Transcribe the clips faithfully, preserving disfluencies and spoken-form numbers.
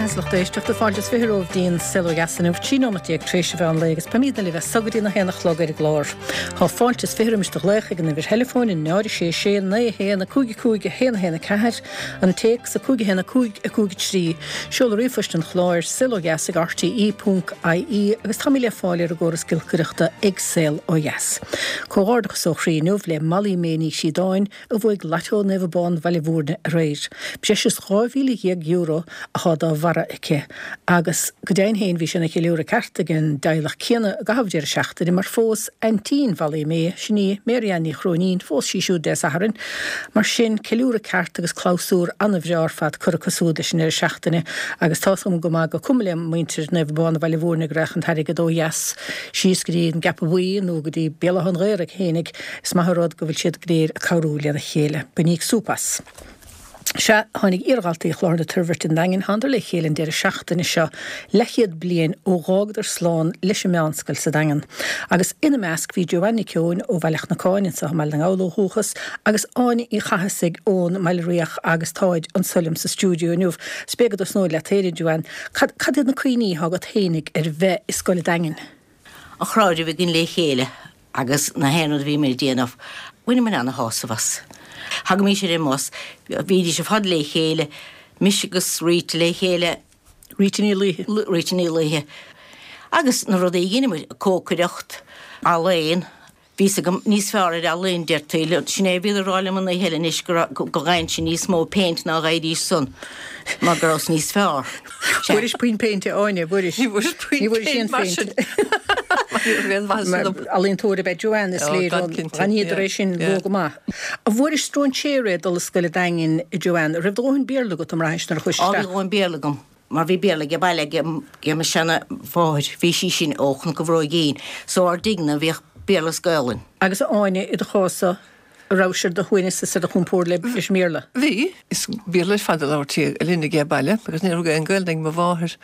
Beatha lucht éisteachta fáilte is fiche romhaibh go dtí an Saol Ó Dheas inniu trí nóiméad déag tar éis an mheán lae agus beimidne libh as so go dtí a haon a chlog ar an gclár. Tá fáilte is fiche roimis do ghlaoch ag an uimhir theileafóin náid sé sé naoi haon a cúig cúig a haon haon a ceathair an téacs a cúig haon a cúig a cúig trí seol ríomhphost an chláir saolodheas ag RTE ponc IE agus tá mé le fáil ar an gcóras giolcaireachta ag Saol Ó Dheas. Comhghairdeachas ó chroí inniu le Molly May Ní Shíodáin a bhuaigh Lotto Naomh Abán Bhaile Bhúirne aréir. Breis is dhá mhíle dhéag euro atá dá bharra aici agus go deimhin féin bhí sé ina cheiliúradh ceart ag an dteaghlach céanna i gcaitheamh deireadh seachtaine mar phós aintín Mholly May sin í Marianne Ní Chróinín phós sí siúd Dé Sathairn mar sin ceiliúradh ceart agus clabhsúr an-bhreá ar fad curtha acu siúd leis an deireadh seachtaine agus tá agam go maith go cuma le muintir Naomh Abán Bhaile Bhúirne go raibh an t-airgead ó dheas síos go dtí an gCeapadh Buí nó go dtí Béal Átha an Ghaorthaidh féinig is maith an rud go bhfuil siad go léir ag cabhrú lena chéile. Bainíodh súp as. Sea tháinig iardhaltaí Chlochar na Toirbhirte an Daingin thánadar le chéile an deireadh seachtaine seo leathchéad bliain ó dh'fhágadar slán leis an meánscoil sa Daingean. Agus ina measc bhí Joanne Nic Eoin ó Bhaile Chnocáin anseo i mBaile na nGall ó dhúchas agus Áine Uí Chathasaigh ón mBaile Riach agus táid anso liom sa stiúideo inniu. B'fhéidir go dtosnóinn leat féin Joanne, cad cad iad na cuimhní atá agat féinig ar bheith i scoil an Daingin? An crowd a bhí againn le chéile agus na haon rud a bhí mé ag déanamh, bhaineamar ana-shásamh as. Thagaimís ar an mbus, bhídís ar fad le chéile, mise agus Rita le chéile, Rita Ní Laoithe. Rita Ní Laoithe. Agus na rudaí a dheineamar, cócaireacht, ealaín, bhí a fhios agam níos fearr ar ealaín deirtí, sin é a bhíodar ag rá liom an oíche eile anois go raibh- go bhfaighinnse níos mó péint ná a bhfaighidís san, mar go rabhas níos fearr. Fuairis puinn péinte Áine, fuairis. Ní bhfuair puinn Ní bhfuair péint sin mar péint. sin. Ní raibh aon mhaitheas Mar ionam. ealaíontóir ab ea Joanne is Ó, léir gan cinnte, Ghníodar é yeah, sin yeah. luath go maith. An bhfuairis stróinséir é dul i scoil an Daingin Joanne, raibh do dhóthain Béarla agat an mbraitheann nuair a chuais Á bhí isteach. dhóthain Béarla agam, mar bhí Béarla ag baile ag ag mo seana mháthair, bhí sí sin ó Chnoc an Bhróigín, so ár dtigh-ne bhíodh Béarla is Gaolainn. Agus Áine i do chás-sa a raibh ar do shuaimhneas is ar do chompord le leis an mBéarla. Bhí, is Béarla ar fad a labhairtí linn ag baile, agus ní raibh aon Ghaeilge ag mo mháthair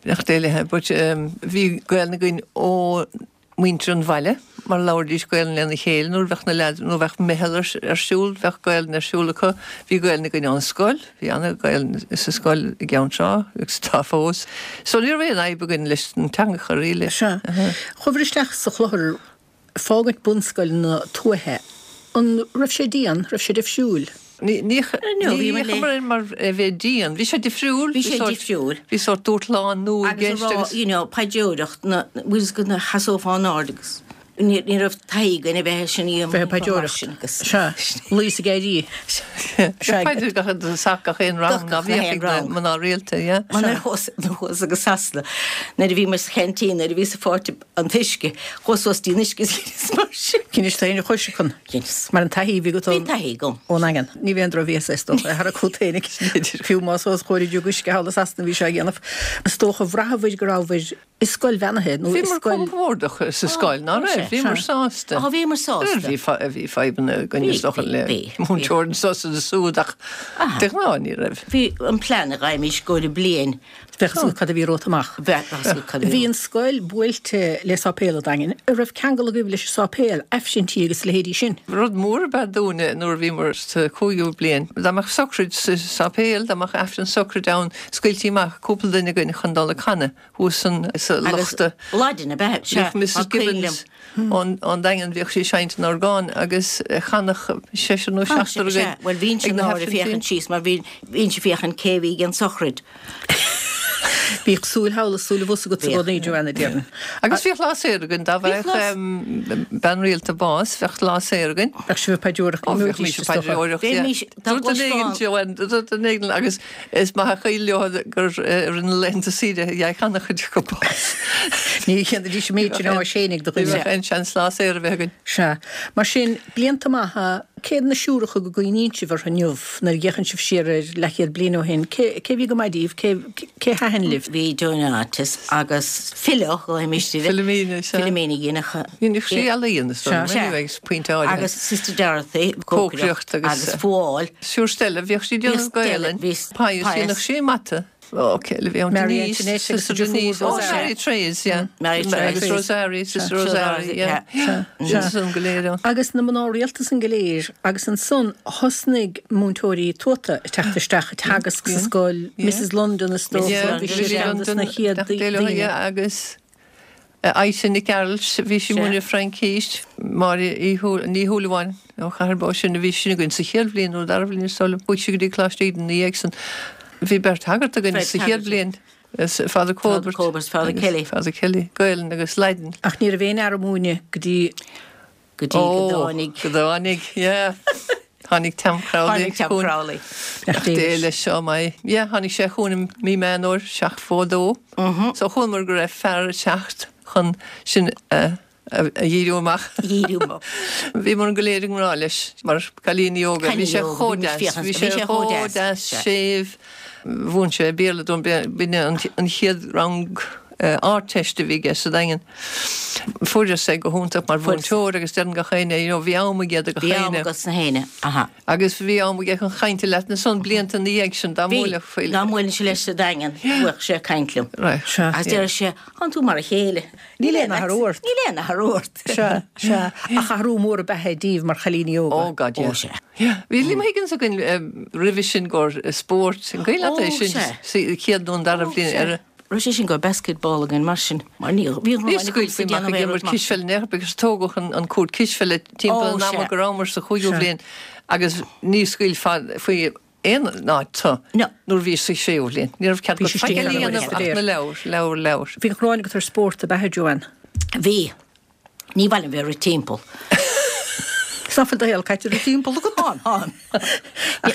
nach délathe, but um, bhí Gaeilge againn ó muintir an bhaile, mar labhraídís Gaeilge lena chéile nuair bheadh na leaids nó bheadh meitheal ar, ar siúl, bheadh Gaeilge ar siúl acu, bhí Gaeilge againn ón scoil, bhí an-Ghaeilge sa scoil i gceann seo agus tá fós. So ní raibh aon fhadhb againn leis an teanga really. Sea. Chuabhair isteach sa chlochar fágaint bunscoil na tuaithe. An raibh sé dian, raibh sé difriúil. Ní ní No, bhí mar ní mar mar a bheith dian, bhí sé difriúil, Bhí sé difriúil. Bhí sórt dúshlán nua i Agus a gceist rá, agus you know, paidreoireacht na bhfuil go na sheasófá in airde agus ní ní raibh taithí againn a bheith sin í Bheith ag paidreoireacht. Sea, luí ag éirí. Sea. Paidir gach sac gach aon rang Gach ná bhíodh aon ag na rang. mná rialta, yeah. Mar nuair thuas thuas agus Sasana nuair a bhí muid sa cheaintín nuair a bhí sa pháirte an t-uisce chuas suas dtí an uisce is mar sin. Dheinis tú féin a chois chun. Dheineas. Mar an taithí bhí agat Bhí taithí agam. ón Daingean. Ní bhíonn drochbhias is dócha thar a cúl féinig. Fiú más os chóir jug uisce thall i Sasana bhí sé a dhéanamh. Is dócha bhraitheabhair go rabhair i scoil bheannaithe nó Bhí i mar scoil compordach sa scoil ná raibh, bhí mar sásta. Á bhí mar sásta. Bhí fa- bhí fadhbanna againn is Bhí, dócha bhí, le bhí, múinteoir sos is súd ach de ghnáth ní raibh. Bhí an plean a ghaibhmis go le bliain Bheadh súil cad a bhí romhat amach. bheith cad a Bhí an scoil buailte le sáipéal an Daingin, a raibh ceangal agaibh leis an sáipéal, aifrinntí agus leithéidí sin. Rud mór ab ea dúinne nuair a bhí mar sa cúigiú bliain. Dá mbeadh socraid sa sáipéal, dá mbeadh aifreann socraid ann, scaoiltí amach cúpla duine againn chun dul ag canadh thuas san sa Agus lochta. Laidin a bheith Bhíodh Mrs Gibbons ón ón Daingean bhíodh sí seinnt an orgán agus chanadh seisear nó seachtar againn. Well bhíonn ag sin na náir a haifrinntí. féachann síos mar bhí bhíonn sé féachann cé bhí an sochraid. Bhíodh súil thall is súil abhus agat sa gcónaí Joanna déarfainn. Agus bhíodh lá saor againn dá Bhíodh bheadh lá- em, bean rialta bás, bheadh lá saor againn. Bheadh sibh ag paidreoireacht Ó, bhíodh mise paidreoireacht, Bhí yeah. mise- dá Dúirt an éigin gcloisfeá- Joanne, dúirt an éigin agus is maith a chuil leo gur eh, rinne laethanta saoire dhe channa chuid go bás. Ní chéanna dí méid sin á sénig do Ní dhuine. bheadh aon seans lá saor a bheith againn. Sea, mar sin blianta maithe céad na siúracha go gcuimhníonn sibh orthu inniu nuair a fhéachann sibh siar ar leathchéad bliain ó shin, cé cé bhí go maith daoibh, cé cé thaitin libh? Bhí Donatus agus Philo go Philomena, sea. Philomena dhéanach Dhéanadh sí ealaíon is Sea. dóigh, agus pointe áirithe. agus Sister Dorothy Cócaireacht agus- agus fuáil. Siúr Stella, bhíodh sí déanamh Bhí Stella, Gaelainn. bhí Pius, Pius. dhéanadh sí mata. Ó, cé eile a bhí ann? Mary Denise, Antoinette agus Sister a deirfiúr Denise. Ó, Rosarie. Mary Therese, yeah. Mary Agus Therese. Rosarie, Sister Rosarie, yeah. Sea, Sin san go léir ann. Agus na mná rialta san go léir, agus ansan thosnaigh múinteoirí tuata ag teacht isteach ag teagasc sa scoil, Missus London is dócha, Yeah, bhí sí ar cheann de na chéad daoine. Agus Aisha Nic Gearailt, bhí sí múineadh Fraincís, Máire Ní Shúilleabháin ó Chathair Bó sin a bhí sin againn sa chéad bhliain nó dara bhliain is dóigh liom, chuaigh sí go dtí Coláiste Íde ina dhiaidh san. Bhí beirt shagart againn sa chéad bhliain, Father Colbert Colbert, Father Kelly. Father Kelly, Gaelainn agus Laidin. Ach ní raibh aon fhear ag múineadh go dtí Go dtí go dtáinig. Go dtáinig, yeah. Tháinig Tom Crowley. Tháinig Tom Crowley. Ach dé leis seo mai. Yeah, tháinig sé chugainn i mí Meán Fhómhair, seacht fó dó. So chualamar go raibh fear ag teacht chun sin a a dhíriú amach. Dhíriú amach. Bhíomar go léir i ngrá leis mar cailíní óga. Bhí sé chomh deas, bhí sé chomh deas, séimh. Mhúin sé Béarla dúinn, b'in an chéad rang Ardteist a bhí aige sa Daingean. Fuaireas é go hiontach mar mhúinteoir agus deireann gach éinne, you know, bhí am aige do gach Bhí am éinne. agat sna héinne, aha. Agus bhí am aige chun cainte leat ansan blianta ina dhiaidh sin, dá Bhí, mbuailfeadh faoi. dá mbuailfinnse leis sa Daingean, bheadh sé ag caint liom. Right. Sea. Agus deireadh sé, Tánn tú mar a chéile. Níl aon athrú ort. Níl aon athrú ort. Sea, sea. Ach athrú mór ab ea é daoibh mar chailíní óga. Oh God, yeah. Ó, sea. Yeah. Bhí Liam Higgins againn roimhe sin gur spórt, an cuimhin leat é Ó, sin, sea. sa chéad nó an dara Ó, bhliain sea. ar a Raibh sé sin go basketball againn mar sin, mar ní, bhí an Ní Rómáin scaoilfí ag amach ag déanamh imirt mar sin. cispheile in aon chor agus tógadh an, an cúirt cispheile timpeall Ó, an ama sea. go rabhamar sa chúigiú Sea. bhliain agus ní scaoilfeá faoi aon áit tu No. nuair bhí sa séú bhliain. Ní raibh cead Bhí agat sé faic istigh eile a ar an dhéanamh bhfuil ach na leabhair, leabhair, leabhair. Bhí gráin agat ar spórt ab ea, Joanne? Bhí. Ní mhaith liom bheith ag rith timpeall. Is nach bhfuil do shaol caite ag rith timpeall agat? Tán, tán.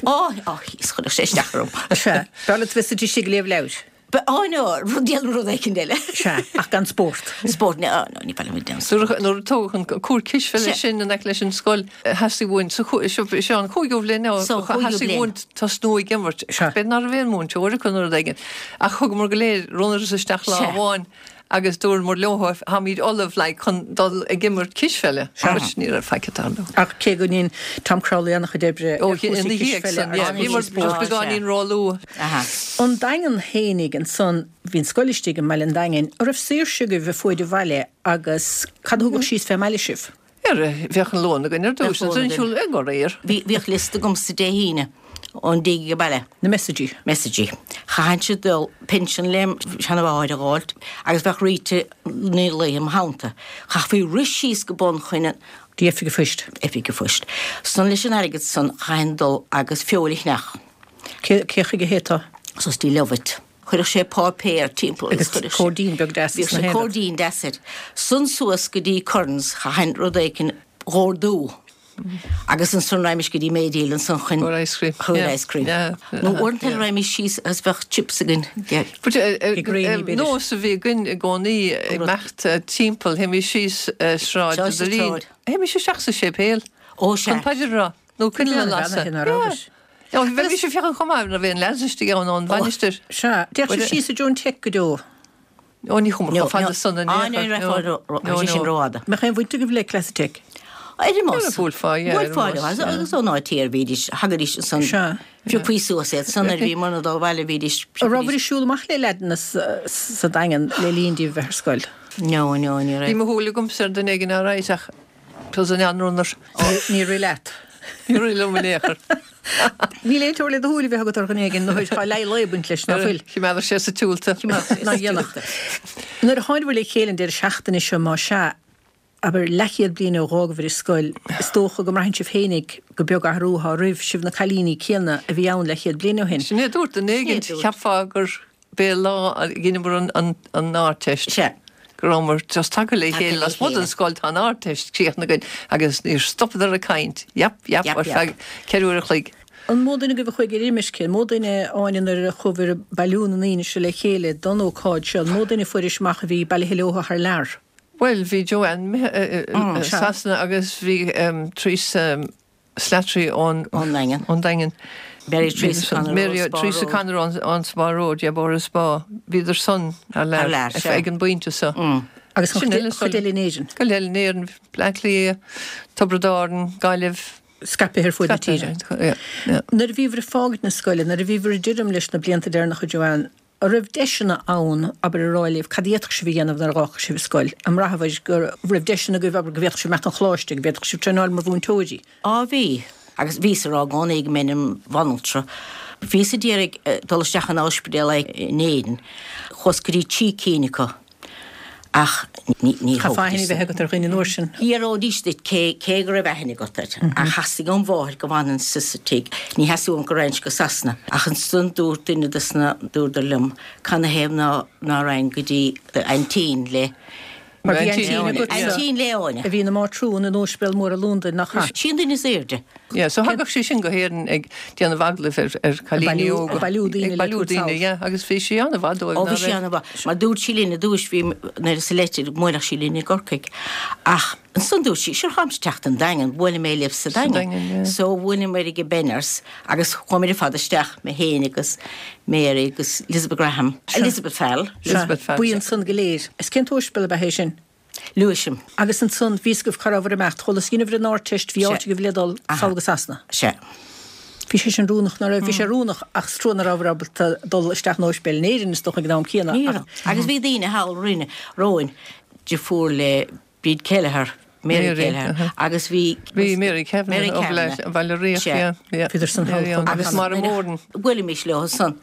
Ó, ó, is chuirfeadh sé isteach orm. Sea. B'fhearr leat bheith istigh ag léamh leabhair. Ba, ó, no, rud déanamh rud éicint eile. Sea, ach gan spórt. Spórt, no, no, ní mhaith liom bheith déanamh Nuair a nuair a tógadh an cúirt cispheile Sea. sin in aice leis an scoil, theastaigh uainn sa chú-, seo, seo an cúigiú bhliain, no, So, cúigiú theastaigh bliain. uainn tosnú ag imirt. Sea. B'fhéidir nach raibh aon mhúinteoir acu nó rud éigin. Ach thugamar go léir runners isteach lá Sea. amháin agus dúramar leo táimid ullamh like, chun dul ag imirt cispheile. Which ní raibh faic ag tarlú. Ach cé go ndearna Tom Crowley an-chuid oibre Ó, ar chúrsaí ina dhiaidh cispheile san, agus yeah. chúrsaí Bhíomar spóirt. just beagáinín róluath. Aha. An Daingean fhéinig ansan, bhí an scoil istigh i mbaile an Daingin, an raibh saoirse agaibh a fuaid an bhaile agus cad a thugadh síos fé mbaile sibh? Ar, bheadh an lón againn ar dtús, Bheadh lón ansan siúl ag go réir. Bhí, bhíodh liosta agam sa Dé hAoine ón dtigh ag baile. Na messages. Messages. Chaithfinnse dul pinsean lem seanamháir a dh'fháilt agus bheadh Rita Ní Laoi im theannta. Chaithfí rith síos go Bun Chuinn Dtí oifig an phoist. Oifig an phoist. San leis an airgead san chaithfinn dul agus feoil a cheannach. Cé, cé chuige a théiteá? Suas dtí Lovett. Chuirfeadh sé páipéar timpeall Agus chuirfeadh sé- cóirdín beag deas Bhíodh sna sé héadaí. cóirdín deas air. San suas go dtí Currans, chaithfinn rud éigin dh'ordú. Agus ansan raghaimís go dtí Maydeal ansan chun Chun ice cream. Chun Yeah. ice cream. Yeah. Nó uaireanta eile raghaimís síos agus bheadh chips againn. Yeah. But, eh, eh, Ag gréine, eh, b'fhéidir. nós a bhí againn i gcónaí ag imeacht, eh, timpeall, théimis síos, eh, sráid Sráid Doirín. Sráid. Théimis isteach sa séipéal. Ó, sea. Chun paidir a rá. Nó coinneal a Bhí an lasadh. bhean ar rabhais. Yeah. Yeah, bhí sé féachaint chomh maith nuair a bhí an leads istigh ann ón mhainistir. Sea, d'fhéach But, sibh síos i Joan Tech go deo. Ó, ní chuamar No, chomh fada no. san in Ah, aon ní chor. raibh No, fáil no, sé sin no. rófhada. Mbeadh aon bhaint agaibh le Cleasa Tech? Ar an mbus. Ar an bhuailfeá, yeah, ar an Bhuailfeá, mbus, agus yeah. agus ón áit thiar bhídís, thagaidís ansan. Sea. Phiocfaí suas iad, san ar bhí mar dá bhaile bhídís. An raibh ag siúl amach le leaideanna sa sa Daingean le linn daoibh bheith ar scoil? No, no, ní Bhí raibh. mo shúil agamsa ar dhuine éigin ar aghaidh ach tusa an anrunner. Ní raibh leat. Ní raibh liom in aon chor. Níl aon teora le do shúil a bheith agat ar dhuine éigin, nó tá leith lae baint leis, ná fuil. Chimeádar sé sa túlta. Ná dhéanach. Nuair a tháinig le chéile an deireadh seachtaine seo má sea, abair leathchéad bliain ó dh'fhágabhair an scoil, is dócha go mbraitheann sibh féinig go beag athrú atá roimh sibh na cailíní céanna a bhí ann leathchéad bliain ó shin. Sin é dúirt duine éigin, Sin é dúirt. cheapfá gur b'é lá a dheineamar an, an, an Ardteist. Sea. Go rabhamar just tagtha le Tagtha chéile le lasmuigh den chéile. scoil tá an Ardteist críochnaithe againn agus níor stopadar ag caint. Yap, yap, Yap, ar yap. feadh ceithre uair a chloig. An mó duine agaibh a chuaigh ar imirce, an mó duine Áine nuair a chuabhair ag bailiú na ndaoine seo le chéile don ócáid seo, an mó duine fuairis amach a bhí bailithe leo thar lear. Well, bhí Joanne eh, eh, Mm, eh, sea. Sasana agus bhí um, Teresa um, Slattery ón Ón Daingean. ón Daingean. Mary Teresa Connor Mary ón Spa Teresa Road. Connor ón, ón Spa Road, yeah, Bóthar Spa. Bhíodar san thar lear, Thar lear, sea. ag an bpointe seo. Mm. Agus Sin eile chuid eile in Éirinn. Go leil in Éirinn, Bleá Cliath, Tiobraid Árann, Gaillimh. Scaipthe ar fud na tíre. Yeah, yeah. Nuair a bhíobhair ag fágaint na scoile, nuair a bhíobhair ag druidim leis na blianta deireanacha Joanne, An raibh deiseanna ann, abair, a rá libh cad a d'fhéadfadh sibh a dhéanamh nuair a dh'fhágfadh sibh an scoil? An mbraithibh go raibh deiseanna agaibh, abair, go bhféadfadh sibh imeacht chun choláiste, go bhféadfadh sibh traenáil mar mhúinteoirí? Á bhí. Agus bhíos a rá i gcónaí go mbeinn im bhanaltra. Bhíos a d'iarraidh dul isteach in ospidéal in Éirinn. Chuas go dtí trí cinn acu. Ach ní ní Chaithfeá aithne a bheith agat ar dhuine an uair sin. D'fhiafróidís duit cé cé go raibh aithne agat air. Ach theastaigh óm mháthair go bhfanfainnse sa tigh. Ní theastaigh uaim go raghainnse go Sasana. Ach ansan dúirt duine dos na dúradar liom canathaobh ná ná raghainn go dtí aintín le Mar bhí aintín agatsa Aintín le Áine. a bhí ina mátrún in Ospidéal Mór i Londain, nach ea? Sí an duine is airde. Yeah, so thagadh sí sin go hÉirinn ag déanamh agallaimh ar ar cailíní bailiú- óga. ag bailiú daoine Ag le bailiú tabhairt daoine, sall. yeah, agus bhí sí an-mhaith dóibh, Ó ná bhí sí raibh? an-mhaith. Mar dúirt sí linn i dtús, bhí nuair sa leitir go mbuailfeadh sí linn i gCorcaigh. Ach ansan dúirt sí, sure táimse ag teacht an Daingean, buailfidh mé libh sa Sa Daingean. Daingean, yeah. So bhuaileamar ag Benners agus chuamar ar fad isteach, mé féin agus Mary agus Elizabeth Graham, Elizabeth Fell. Elizabeth Fell. Buíon san go léir. Is cén t-ospidéal ab ea é sin? Lewisham. Agus ansan bhí a fhios agaibh cá rabhabhair ag imeacht, chuala dheineabhair an Ardteist, bhí Sea. áit agaibh le dul sall go Sasana. Sea. Bhí sé sin rúnach, ná raibh? Bhí sé rúnach ach is trua nach rabhabhair ábalta dul isteach in ospidéal in Éirinn is dócha ag an am céanna Ní ach raibh. Agus bhí daoine thall roinne, romhainn, deirfiúr le Bríd Kelleher, Mary Mary, Kelleher, uh-huh. agus bhí Bhí Mary Kavanagh Mary ó Kavanagh. Bhaile Riach, Sea. yeah, yeah. Bhíodar san thall Mary chomh maith. Agus Máire Moran. Bhuailimis leo san.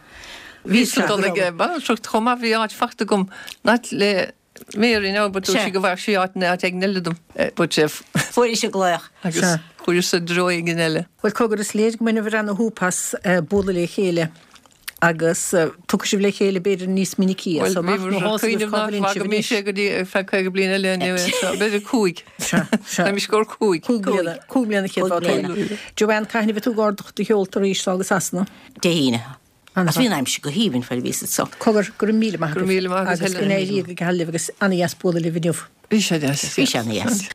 Bhí san dul ag banaltracht chomh maith, bhí áit fachta agam not le Mary now, but dúirt Sea. sí go bhfaigheadh sí áit in áit éigin eile dom. Eh, But eh, Fuair sí glaoch. agus Sea. chuir sa dtreo éigin eile. Bhuel cogar is léir go mbainibh ana-shúp as eh, bualadh le chéile agus eh, tiocfaidh sibh le chéile b'fhéidir níos minicí Well, so amach nó bhí thá sibh cuimhneamh cá nach bhfuil sibh bhfaca mé anois. sé go dtí ar feadh caoga bliain eile inniu, so b'fhéidir cúig. Sea, sea. Tá mé scór cúig. Cúig bliana, cúig bliana chéad Cúig bhá bliana. Joanne, cathain a bheidh tú ag ardach do sheolta arís sall go Sasana? Dé hAoine. An-mhaith. Agus bhí an aimsir go haoibhinn fad a bhí siad so. Cogar go raibh míle maith Go raibh míle maith agat, agus go Helen. n-éirí go geal libh agus ana-dheas bualadh libh inniu. Bhí sé deas. Bhí sé ana-dheas.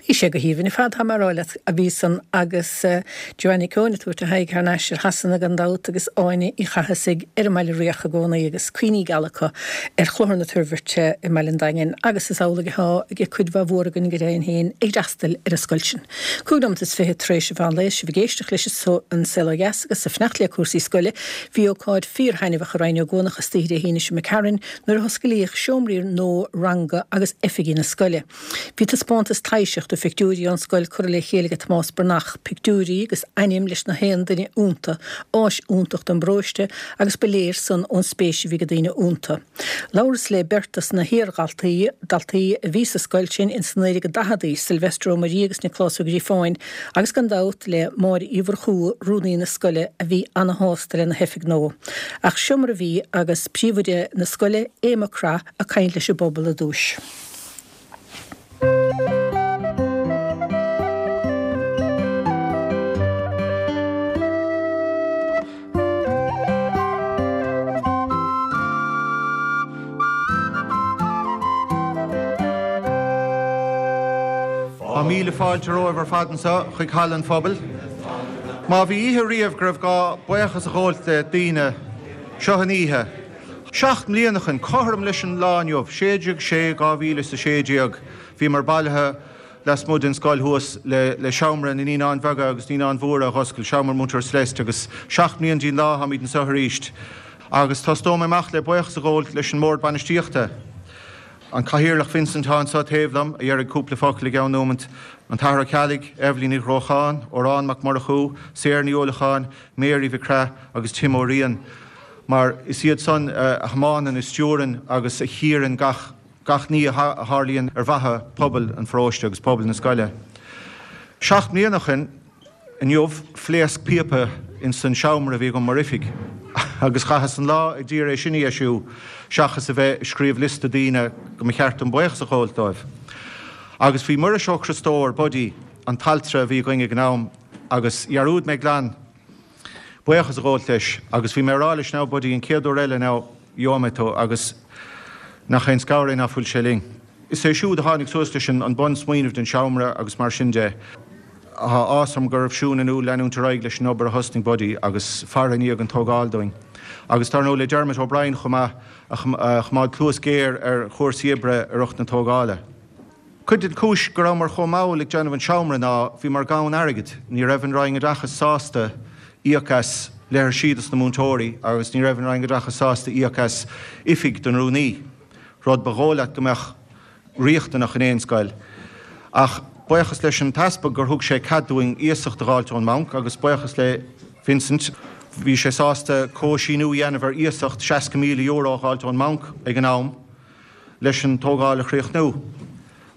Bhí sé go haoibhinn ar fad tá mar leat a bhí san agus uh, Joanne Nic Eoin ag tabhairt a haghaidh thar n-ais ar Shasana gan dabht agus Áine Uí Chathasaigh ar an mBaile Riach i gcónaí agus cuimhní geala acu ar Chlochar na Toirbhirte i mBaile an Daingin agus is amhlaidh atá ag cuid mhaith mhór againn go deimhin féin ag freastal ar an scoil sin. Cúig nóiméad is fiche tar éis an mheán lae sibh ag éisteacht leis an Saol Ó Dheas agus ag fanacht le cúrsaí scoile, bhí ócáid fíorthaitneamhach i Rinn Ó gCuanach istoíche Dé hAoine seo imigh tharainn nuair a hosclaíodh seomraí nua ranga agus oifigí na scoile. Bhí taispeántas taibhseach de phictiúirí ón scoil curtha le chéile ag Tomás Breathnach, pictiúirí agus ainm leis na haon duine iontu, áis iontach don bparóiste agus ba léir san ón spéis a bhí ag daoine iontu. Labhras le beirt as na hiardhaltaí daltaí a bhí sa scoil sin in san naoi déag daicheadaí, Sylvester Ó Muirí agus Nioclás Ó Gríofáin, agus gan dabht le Máire Uí Mhurchú, rúnaí na scoile a bhí ana-shásta lena hoifig nua. Ach seo mar a bhí agus príomhoide na scoile Aodh Mac Craith ag caint leis an bpobal i dtús. Tá míle fáilte romhaibh ar fad anseo chuig Halla an Phobail. Má bhí oíche riamh go raibh gá buíochas a ghabháil le daoine seo an oíche. Seacht mbliana ó shin cothrom leis an lá inniu, sé déag sé dhá mhíle is a sé déag, bhíomar bailithe lasmuigh den scoil thuas le, le seomra na naíonáin bheaga agus naíonáin mhóra a dh'oscailt, seomra Múinteoir Celeste agus seacht mbliana dtí'n lá táimid anseo arís. Agus tosóidh mé amach le buíochas a ghabháil leis an mbord bainistíochta. An Cathaoirleach Vincent atá anseo taobh liom a dhéarfaidh cúpla focal i gceann nóiméid, an tAthair Ó Ceallaigh, Eibhlín Ní Ghrócháin, Órán Mac Murchú, Sarah Ní Uallacháin, Mary Mhic Craith agus Tim Ó Riain. Mar is iad san a thiomáineann a stiúrann agus a chíorann gach gach ní a tharlaíonn ar mhaithe pobal an pharóiste agus pobal na scoile. Seacht mbliana ó shin inniu phléasc píopa in san seomra a bhí agam mar oifig, agus chaitheas an lá ag iarraidh é sin a dheisiú seachas a bheith ag scríobh liosta daoine go mba cheart dom buíochas a ghabháil dóibh. Agus bhí Muiris Ó Criostóir Buddy an t-altra a bhí againn ag an am agus dhearúd mé glan buíochas a ghabháil leis agus bhí mé ag rá leis now Buddy an chéad uair eile now gheobhaidh mé tú agus nach aon scanradh é ná fuil sé linn. Is é siúd a tháinig suas leis an bunsmaoineamh den seomra agus mar sin de. Tá áthas orm go raibh Siún in ann leanúint ar aghaidh leis an obair a thosnaigh Buddy agus faire i ndiaidh an tógáil dúinn. Agus dar ndóigh le Dermot O'Brien chomh maith a choimeád cluas géar ar chúrsaí oibre i rith na tógála. Cuid den chúis go rabhamar chomh mall ag déanamh an seomra ná bhíomar gann airgid, ní raibh an Roinn Oideachais sásta íoc as leithrisí dos na múinteoirí agus ní raibh an Roinn Oideachais sásta íoc as oifig don rúnaí, rud ba dhóigh leat go mbeadh riachtanach in aon scoil. Ach buíochas leis an t-easpag gur thug sé cead dúinn iasacht a dh'fháilt ón mbanc agus buíochas le Vincent, bhí sé sásta comhshíniú a dhéanamh ar iasacht seasca míle euro a dh'fháilt ón mbanc ag an am leis an tógáil a chríochnú.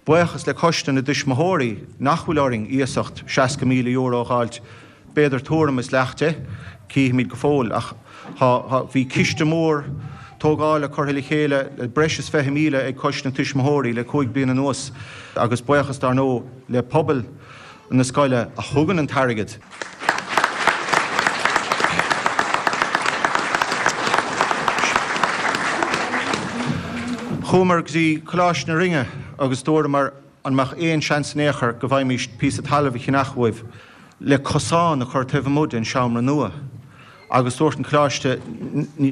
Buíochas le Coiste na dTuismitheoirí nach bhfuil orainn iasacht seasca míle euro a dh'fháilt, b'fhéidir tuairim is leath de, cífimid go fóill, ach bhí ciste mór tógála curtha le chéile le breis is fiche míle ag Coiste na Tuismitheoirí le cúig bliana anuas agus buíochas dar ndóigh le pobal na scoile a thugann an t-airgead. Chuamar go dtí Coláiste na Rinne agus dúramar an mbeadh aon seans in aon chor go bhfaighimís píosa talaimh a cheannach uaibh le cosán a chur taobh amuigh den seomra nua. Agus dúirt an Coláiste,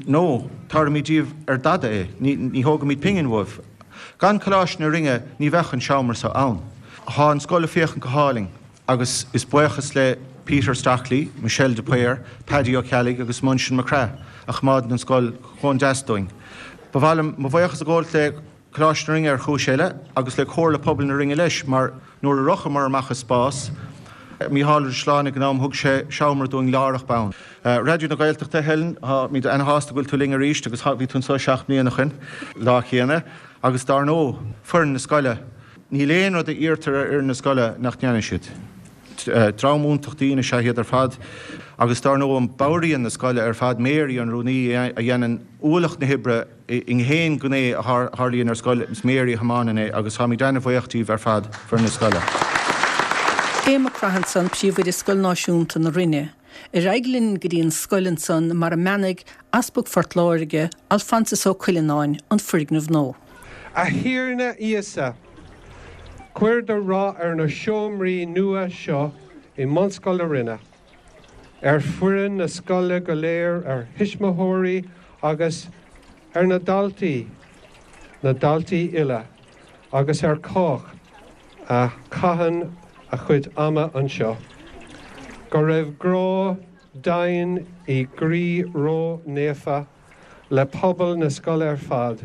No, tabharfaimid díobh ar dada é, ní thógfaimid pingin uaibh. Gan Coláiste na Rinne ní bheadh an seomra seo ann. Tá an scoil ag féachaint go hálainn agus is buíochas le Peter Stockley, Michelle de Paor, Paddy Ó Ceallaigh agus Muinseann Mac Craith a choimeádann an scoil chomh deas dúinn. Ba mhaith liom mo bhuíochas a ghabháilt le Coláiste na Rinne ar chúis eile agus le Comhairle Pobail na Rinne leis mar nuair a rochamar amach as spás, Mícheál Ó Drisleáin ag an am thug sé seomra dúinn láithreach bonn. Raidió na Gaeltachta, Helen, táimid ana-shásta go bhfuil tú linn arís agus bhí tú anseo seacht mbliana ó shin, lá chéanna, agus dár ndóigh, foireann na scoile. Níl aon rud a iarrtar ar fhoireann na scoile nach ndéanann siad. Dream iontach daoine is ea iad ar fad agus dár ndóigh an ballraíon na scoile ar fad, Mary an rúnaí a dhéanann ualach na hoibre i ngaon ghné a tharlaíonn ar scoil, is Mary a thiomáineann é agus táimid ana-bhuíoch díobh ar fad, foireann na scoile. Aodh Mac Craith ansan, Príomhoide Scoil Náisiúnta na Rinne. Ar aghaidh linn go dtí an scoil ansan mar a mbeannaigh Easpag Phort Láirge, Alphonsus Ó Cuileanáin, an foirgneamh nua. A Thiarna Íosa, cuir do rath ar na seomraí nua seo i mBunscoil na Rinne, ar foireann na scoile go léir, ar thuismitheoirí agus ar na daltaí, na daltaí uile, agus ar chách a chaitheann a chuid ama anseo. Go raibh grá domhain i gcroí ró-naofa le pobal na scoile ar fad,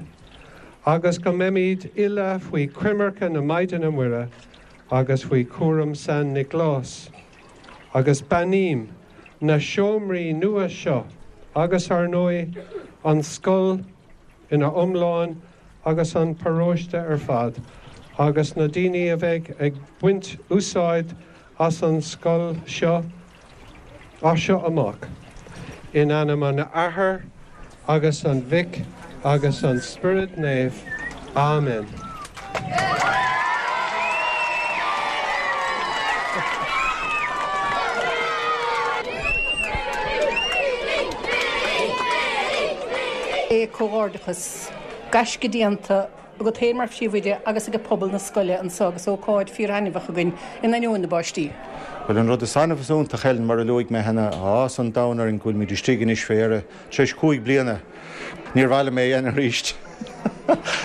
agus go mbeimid uile faoi choimirce na Maighdine Muire agus faoi chúram San Nioclás. Agus beannaím na seomraí nua seo agus, ar ndóigh, an scoil ina iomlán agus an paróiste ar fad agus na daoine a bheidh ag baint úsáid as an scoil seo as seo amach. In ainm an Athar agus an Mhic agus an Spioraid Naoimh. Amen. Comhghairdeachas, gaisce déanta agat féin mar phríomhoide agus ag pobal na scoile anseo agus ócáid fíorthaitneamhach againn in ainneoin na báistí. Bhuel, an rud is annamh is iontach, Helen, mar a luaigh mé cheana, tá áthas an domhain orainn go bhfuilimid istigh anois fé dheireadh, tar éis cúig bliana. Níor mhaith liom é a dhéanamh arís.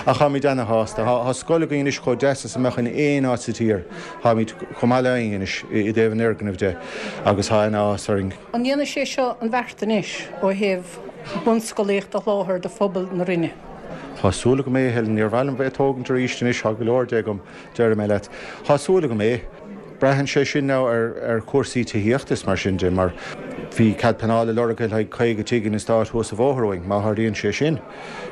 Ach táimid ana-shásta. Tá scoil againn anois chomh deas is a mbeadh in aon áit sa tír. Táimid chomh maith le éinne anois i dtaobh an fhoirgnimh de agus tá ana-áthas orainn. An ndéanfaidh sé seo an bheart anois ó thaobh bunscolaíocht a sholáthar do phobal na Rinne? Tá súil agam é, a Helen. Níor mhaith liom bheith ag tógaint arís anois, tá go leor de agam, déarfaidh mé leat. Tá súil agam é. Braitheann sé sin now ar ar chúrsaí tithíochta is mar sin de, mar bhí cead pleanála lorgtha le haghaidh caoga tigh in eastát thuas an bhóthar uainn. Má tharlaíonn sé sin,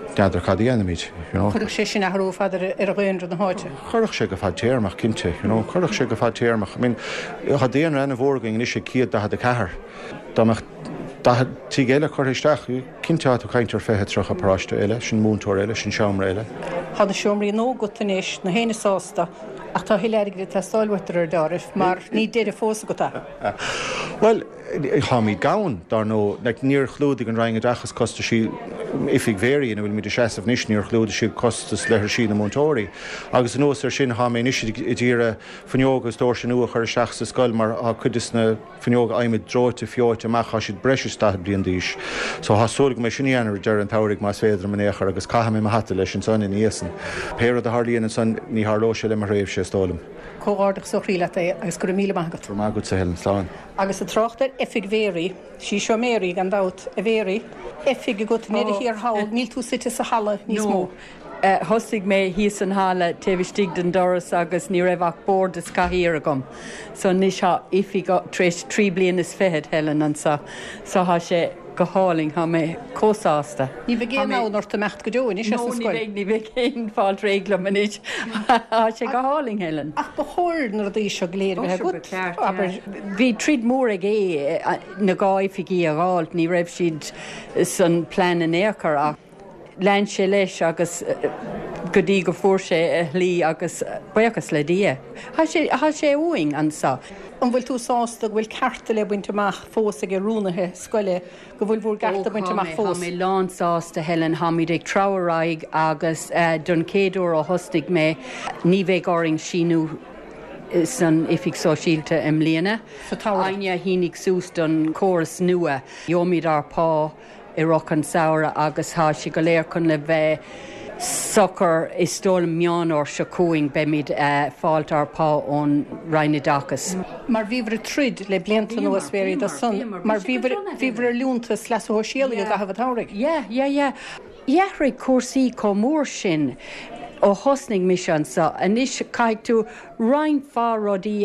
n'fheadar cad a dhéanfaimid, you know. Chuirfeadh sé sin athrú ar fad ar ar dhaonra na háite. Chuirfeadh sé go fadtéarmach, cinnte, you know. Chuirfeadh sé go fadtéarmach. I mean, tá daonra ana-mhór againn anois ag céad daichead a ceathair. Dá mbeadh daichead tigh eile curtha isteach, cinnte tá tú ag caint ar fiche, tríocha páiste eile, sin múinteoir eile, sin seomra eile. Tá na seomraí nua agat anois, gach éinne sásta, ach tá a thuilleadh airgid ag teastáil uait de réir dealraimh, mar ní deireadh fós agat é. Bhuel, táimid gann, dar ndóigh. Like, níor chlúdaigh an Roinn Oideachais costaisí Oifig Mhary ina bhfuil muid ag seasamh anois níor chlúdaigh siad costas leithrisí na múinteoirí. Agus anuas ar sin tá mé anois ag iarraidh fuinneoga is doirse nua a chur isteach sa scoil mar tá cuid de na fuinneoga adhmaid dreoite feoite amach tá siad breis is daichead bliain d'aois. So tá súil go mbeidh sin déanta ar deireadh an tsamhraidh más féidir liom in aon chor agus caithfidh mé mo hata leis ansan ina dhiaidh san. Pé rud a tharlaíonn ansan ní tharlóidh sé le mo thréimhse is dóigh liom. Comhghairdeachas ó chroí leat é agus go raibh míle maith agat. Go raibh maith agat a Helen slán. Agus ag trácht ar oifig Mhéaraí, sí seo Mary gan dabht a Mhéaraí, oifig agat i ndeireadh thiar thall, níl tú suite sa halla níos mó. Uh, thosaigh mé thíos an halla taobh istigh den doras agus ní raibh ach bord is cathaoir agam. So anois tá oifig tar éis trí bliana is fiche Helen anseo, so tá sé go hálainn tá mé chomh sásta. Ní bheidh aon fhonn ort imeacht go deo anois as an scoil. Ní bheidh aon fáil réiglum anois Tá sé go hálainn Helen. Ach ba chóir na rudaí seo go léir a bheith agat. Bhí troid mór ag é na dhá oifigí a fháil, ní raibh siad san plean in aon chor ach lean sé leis agus go dtí go fuair sé a shlí agus buíochas le Dia. Tá sé uainn anseo. An bhfuil tú sásta go bhfuil cearta le baint amach fós ag rúnaithe scoile go bhfuil bhur gcearta bainte amach fós. Tá mé lán sásta Helen táimid ag treabhadh ar aghaidh agus don chéad uair ó thosnaigh mé ní bheidh orainn síniú san oifig sóisialta i mbliana. Éinne a shínigh suas don chóras nua, Gheobhaimid ár bpá i rith an tsamhraidh agus tá sé go léir chun le bheith socair is dóigh Meán Fhómhair seo chugainn beimid fáilt ár bpá ón Roinn Oideachais. Mar bhíobhair ag troid le blianta anuas Mhéaraí do son, mar bhíobhair ar liúntas leasa shóisialaigh i gcaitheamh an tsamhraidh. Yeah, yeah, yeah. D'athraigh cúrsaí chomh mór sin ó thosnaigh mise anseo anois caithfidh tú roinnt mhaith rudaí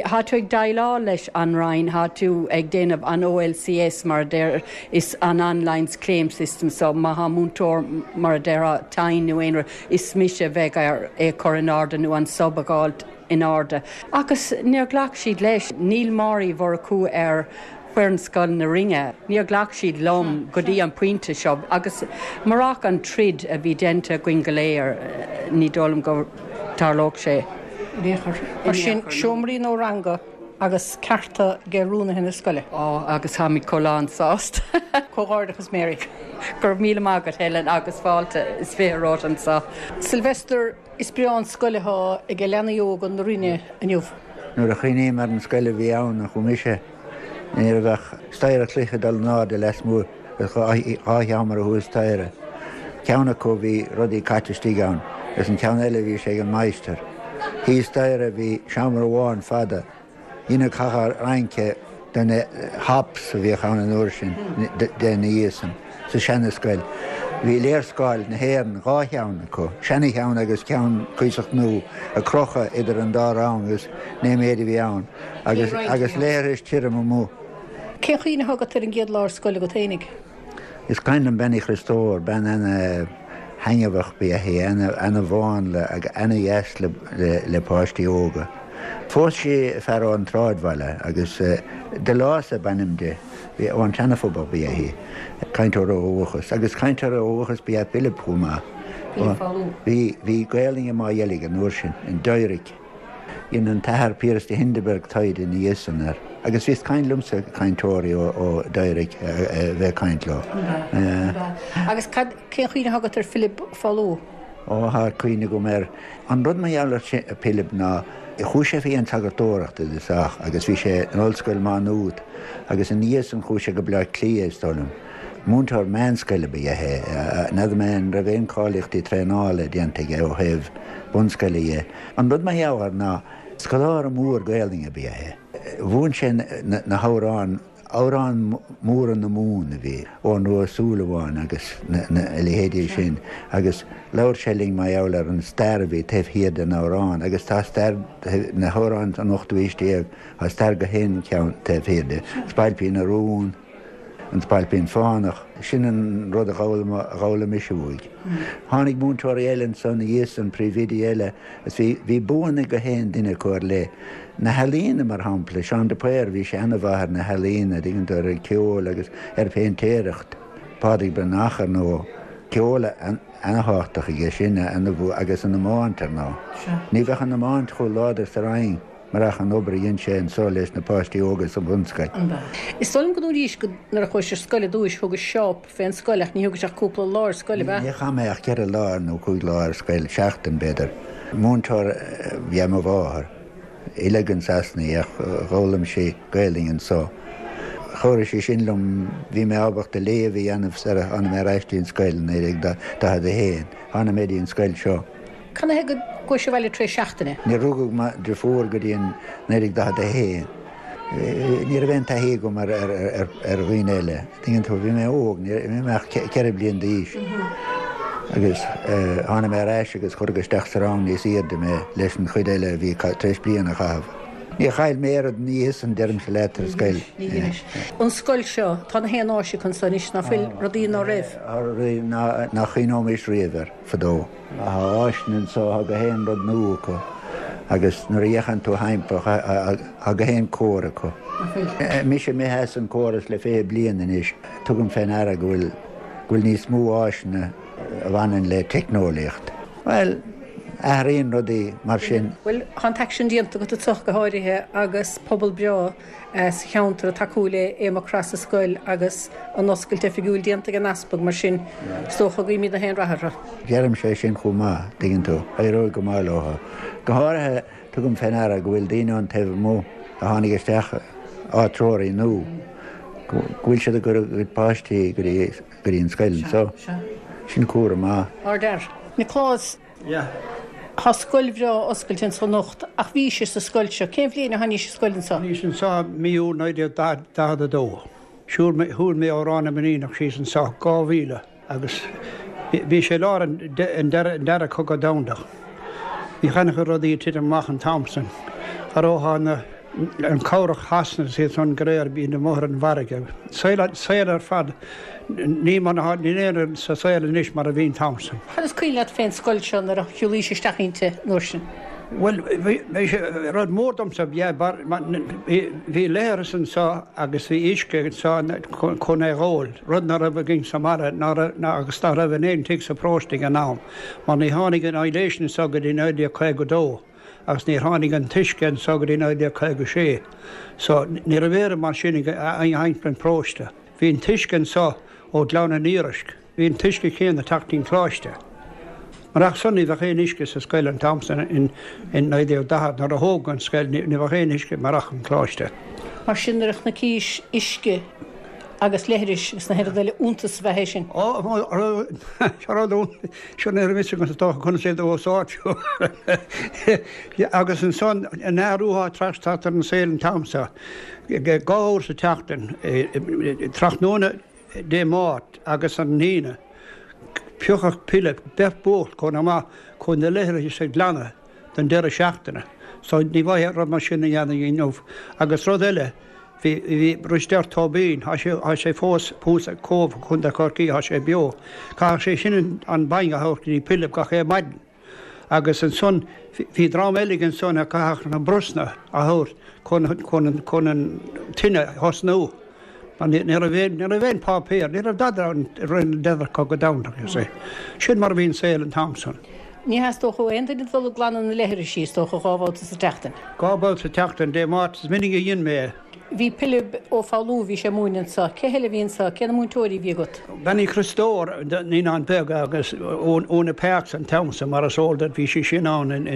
tá tú ag déileáil leis an Roinn tá tú ag déanamh an OLCS mar deir is an online claim system so má tá múinteoir mar a deir tinn nó aon is mise bheith ar é chur in airde nó an sub a fháilt in airde. Agus níor ghlac siad leis níl Máirí Mhurchú ar foireann Scoil na Rinne. Níor ghlac siad liom go dtí an pointe seo agus murach an troid a bhí déanta againn go léir ní dóigh liom go dtarlódh sé. Mar sin seomraí nó ranga agus cearta ag rúnaithe na scoile. Ó agus táimid chomh lán sásta. Comhghairdeachas Mary. Gur míle maith agat Helen agus fáilte is fiche romhat anseo. Sylvester is breá an scoil atá ag leanaí óga na Rinne inniu. Nuair a chuimhním ar an scoil a bhí ann a chuaigh mise ní raibh ach staighre cloiche dul in airde lasmuigh dhá sheomra thuas staighre. Ceann acu bhí rudaí caite istigh ann, agus an ceann eile bhí sé ag an máistir. Thíos staighre bhí seomra amháin fada, ina chathair rince den hops a bhíodh ann an uair sin den íosan sa seanascoil. Bhí léarscáil na hÉireann dhá cheann acu, seanacheann agus ceann cuíosach nua a crochadh idir an dá rang agus né méid a bhí ann, agus agus leithris tirim amuigh. Cén chuimhne atá agat ar an gcéad lá ar scoil agat fhéinig? Is cuimhin liom bean Uí Chriostóir, bean ana-thaitneamhach ba ea í, ana-mhánla agus ana-dheas le, le, le páistí óga. Phós sí fear ón tsráidbhaile agus de Lása ab ainm di, bhí ón tSeanaphobal ba ea í, cainteoir ó dhúchas, agus cainteoir ó dhúchas ba ea Philip chomh maith. Bhí bhí Gaelainn i Maigh Dheilg an uair sin, in Doiric. Dhein an t-athair Piaras de Hindeberg taighde ina dhiaidh san air. Agus bhí caint liomsa cainteoirí ó, ó Doiric a bheith caint leo. Agus cad cén chuimhne atá agat ar Philip Falú? Ó tá cuimhne agam air. An rud mar gheall ar Philip ná chuaigh sé faoi an tsagartóireacht i dtosach agus bhí sé in Ollscoil Má Nuad agus ina dhiaidh san chuaigh sé go Bleá Cliath is dóigh liom. Múinteoir meánscoile ba ea é, n'fheadar mé an raibh aon cáilíochtaí traenála déanta aige ó thaobh bunscoile dhe. An rud mar gheall air ná scoláire mór Gaelainne ba ea é. Mhúin sé na, na hamhráin amhráin móra na Mumhan a bhí Eoghan Rua Ó Súilleabháin agus na, na leithéidí sin agus labhair sé linn mar gheall ar an stair a bhí taobh thiar den amhrán agus tá stair na hamhráin an ochtú haois déag tá stair gach aon cheann taobh thiar de. Spailpín na Rún, an Spailpín Fánach, sin an rud a d'fhoghlaim mise uaidh. Tháinig múinteoirí eile ansan ina dhiaidh san príomhoidí eile is bhí bhí buanna gach aon duine acu ar leith. Na healaíona mar shampla, Seán de Paor, bhí sé an-mhaith ar na healaíona, tuigeann tú ar an ceol agus ar phéintéireacht. Pádraig Breathnach ar ndóigh, ceol an-tábhachtach aige sin ana agus an iomáint ar ndóigh. Ní bheadh an iomáint chomh láidir sa Rinn Marach an obair a dhein sé anso leis na páistí óga sa bhunscoil. Is dóigh liom go ndúraís go nuair a chuais ar scoil ar dtúis thugais shop fén scoil ach ní thugais ach cúpla lá ar scoil, ab ea? Ní chaith mé ach ceithre lá nó cúig lá ar scoil, seachtain b'fhéidir. Múinteoir ab ea mo mháthair. Oileadh in Sasana í ach dh'fhoghlaim sí Gaelainn anso. Chabhraigh sé sin liom, bhí mé ábalta léamh a dhéanamh sar a tháinig mé ar ais dtí an scoil i naoi déag daichead a haon. Tháinig mé dtí an scoil seo. Canathaobh go gcuais abhaile tar éis seachtaine? Níor rugadh mo dhriofúr go dtí an naoi déag daichead a haon. Ní raibh aon taithí agam ar dhaoine eile. Tuigeann tú, bhí mé óg, ní raibh mé ach ceithre bliana d'aois. Agus tháinig mé ar ais agus cuireadh isteach sa rang níos airde mé leis an chuid eile a bhí tar éis bliain a chaitheamh. Níor chaill mé oiread an oíche san, deirimse leat, ar scoil. An scoil seo, tá na haon áis acu anso anois, ná fuil, rudaí ná raibh. Rudaí nach chuimhneoimis riamh air, fadó. Tá áiseanna anso, tá gach aon rud nua acu agus nuair a fhéachann tú thimpeall tá gach aon cóir acu. Mise imithe as an córas le fiche bliain anois, tugaim fé ndeara go bhfuil go bhfuil níos mó áiseanna a bhaineann le teicneolaíocht. Bhuel, athraíonn rudaí mar sin. Bhuel, tá an t-aicsean déanta agat anseo go háirithe agus pobal breá sa cheantar ag tacú le Aodh Mac Craith sa scoil agus an oscailt oifigiúil déanta ag an Easpag, mar sin is dócha go guímid na haon rath orthu. Deirimse é sin chomh maith, tuigeann tú. Éireoidh go maith leo. Go háirithe, tugaim fé ndeara go bhfuil daoine ón taobh amuigh a tháinig isteach, áitreoirí nua, go bhfuil siad ag cur a gcuid páistí go dtí an scoil anseo. Sin comhartha maith. Ardfhear. Nioclás. Yeah. Tá scoil bhreá oscailte anso anocht ach bhís sa scoil seo. Cén bhliain a tháinís sa scoil anso? Tháinís anso mí Iúil naoi déag daichead a dó. Shiúil mé, shiúil mé ó Ráth na Mainíneach síos anso, dhá mhíle, agus bhí sé i lár an dara, an dara cogadh domhanda. Bhí an-chuid rudaí ag titim amach an t-am san. Cha raibh na, an cabhlach Shasana is iad san go léir, bhí amuigh ar an bhfarraige. Saol, saol ar fad. Ní mar atá, níl aon rud sa saol anois mar a bhí an t-am san. Cad is cuimhin leat fén scoil seo nuair a shiúlaís isteach inti an uair sin? Bhuel, bhí, bhí sé, rud mór domsa, yeah, bar, mar, bhí, bhí leithreas anso agus bhí uisce anso chun é dh'ól, rud ná raibh againn sa mbaile, ná raibh, ná, agus ná raibh in aon tigh sa bparóiste ag an am, mar ní tháinig an aibhléis anso go dtí naoi déag caoga dó agus níor tháinig an t-uisce anso go dtí naoi déag caoga sé. So, ní raibh aon rud mar sin ag, thimpeall an pharóiste. Bhí an t-uisce anso ó Ghleann an Iorrais. Bhí an t-uisce céanna ag teacht ón choláiste. Marach san ní bheadh aon uisce sa scoil an t-am san in naoi déag daichead nuair a thógadh an scoil ní bheadh aon uisce marach an coláiste. Mar sin nuair a chonnaicís uisce agus leithris agus na haon rud eile iontas ab ea é sin. Ó, seo rud seo ní raibh fhios agam is dócha conas é do úsáid. Agus ansan an athrú atá tar éis teacht ar an saol an t-am seo. Dhá uair sa tseachtain, tráthnóna Dé Máirt agus an Aoine, phiocfadh Pilib beirt buachaill chun amach chun na leithris a ghlanadh don deireadh seachtaine. So ní bhfaighfeá rud mar sin a dhéanamh inniu. Agus rud eile, bhí, bhí Risteard Tóibín, tá sé, tá sé fós thuas ag Cóbh, Contae Chorcaí, tá sé beo. Chaithfeadh sé sin an bainne a thabhairt go dtí Pilib gach aon maidin. Agus ansan bhí dream eile ansan a chaithfeadh na brosna a thabhairt chun chun an tine a thosnú. Mar ní raibh aon ní raibh aon páipéar, ní raibh dada ann i rith an Dara Cogadh Domhanda, you see. Sin mar a bhí an saol an t-am san. Ní theastódh ó aon duine dul ag glanadh na leithrisí, is dócha, dhá bhabhta sa tseachtain. Dhá bhabhta sa tseachtain, Dé Máirt, is minic a dhein mé é. Bhí Pilib Ó Foghlú, bhí sé ag múineadh anso. Cé heile a bhí anso? Cé na múinteoirí a bhí agat? Bean Uí Chriostóir, Naíonáin Bheaga agus Úna Parks an t-am san, mar is eol duit, bhí sí sin ann in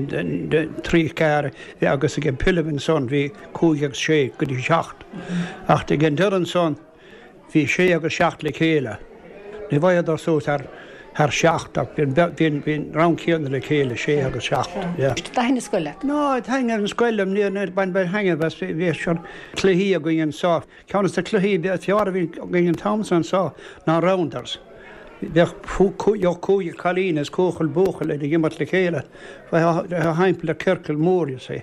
trí ceathair agus ag Pilib ansan bhí cúig agus sé go dtí seacht. Ach ag an deireadh ansan bhí sé agus seacht le chéile. Ní bhfaigheadar suas thar thar seacht ach bhí an bhí an rang céanna le chéile, sé agus seacht, yeah. Thaitin an scoil leat? No, thaitin an scoil liom, níor níor bain bain thaitneamh as, bhí seo cluichí againn anso. Ceann de na cluichí is fearr a bhí againn an t-am san anso ná rounders. Bheadh cúigear cailín is cúigear buachaill ag imirt le chéile, bheadh thimpeall ar ciorcal mór, you see.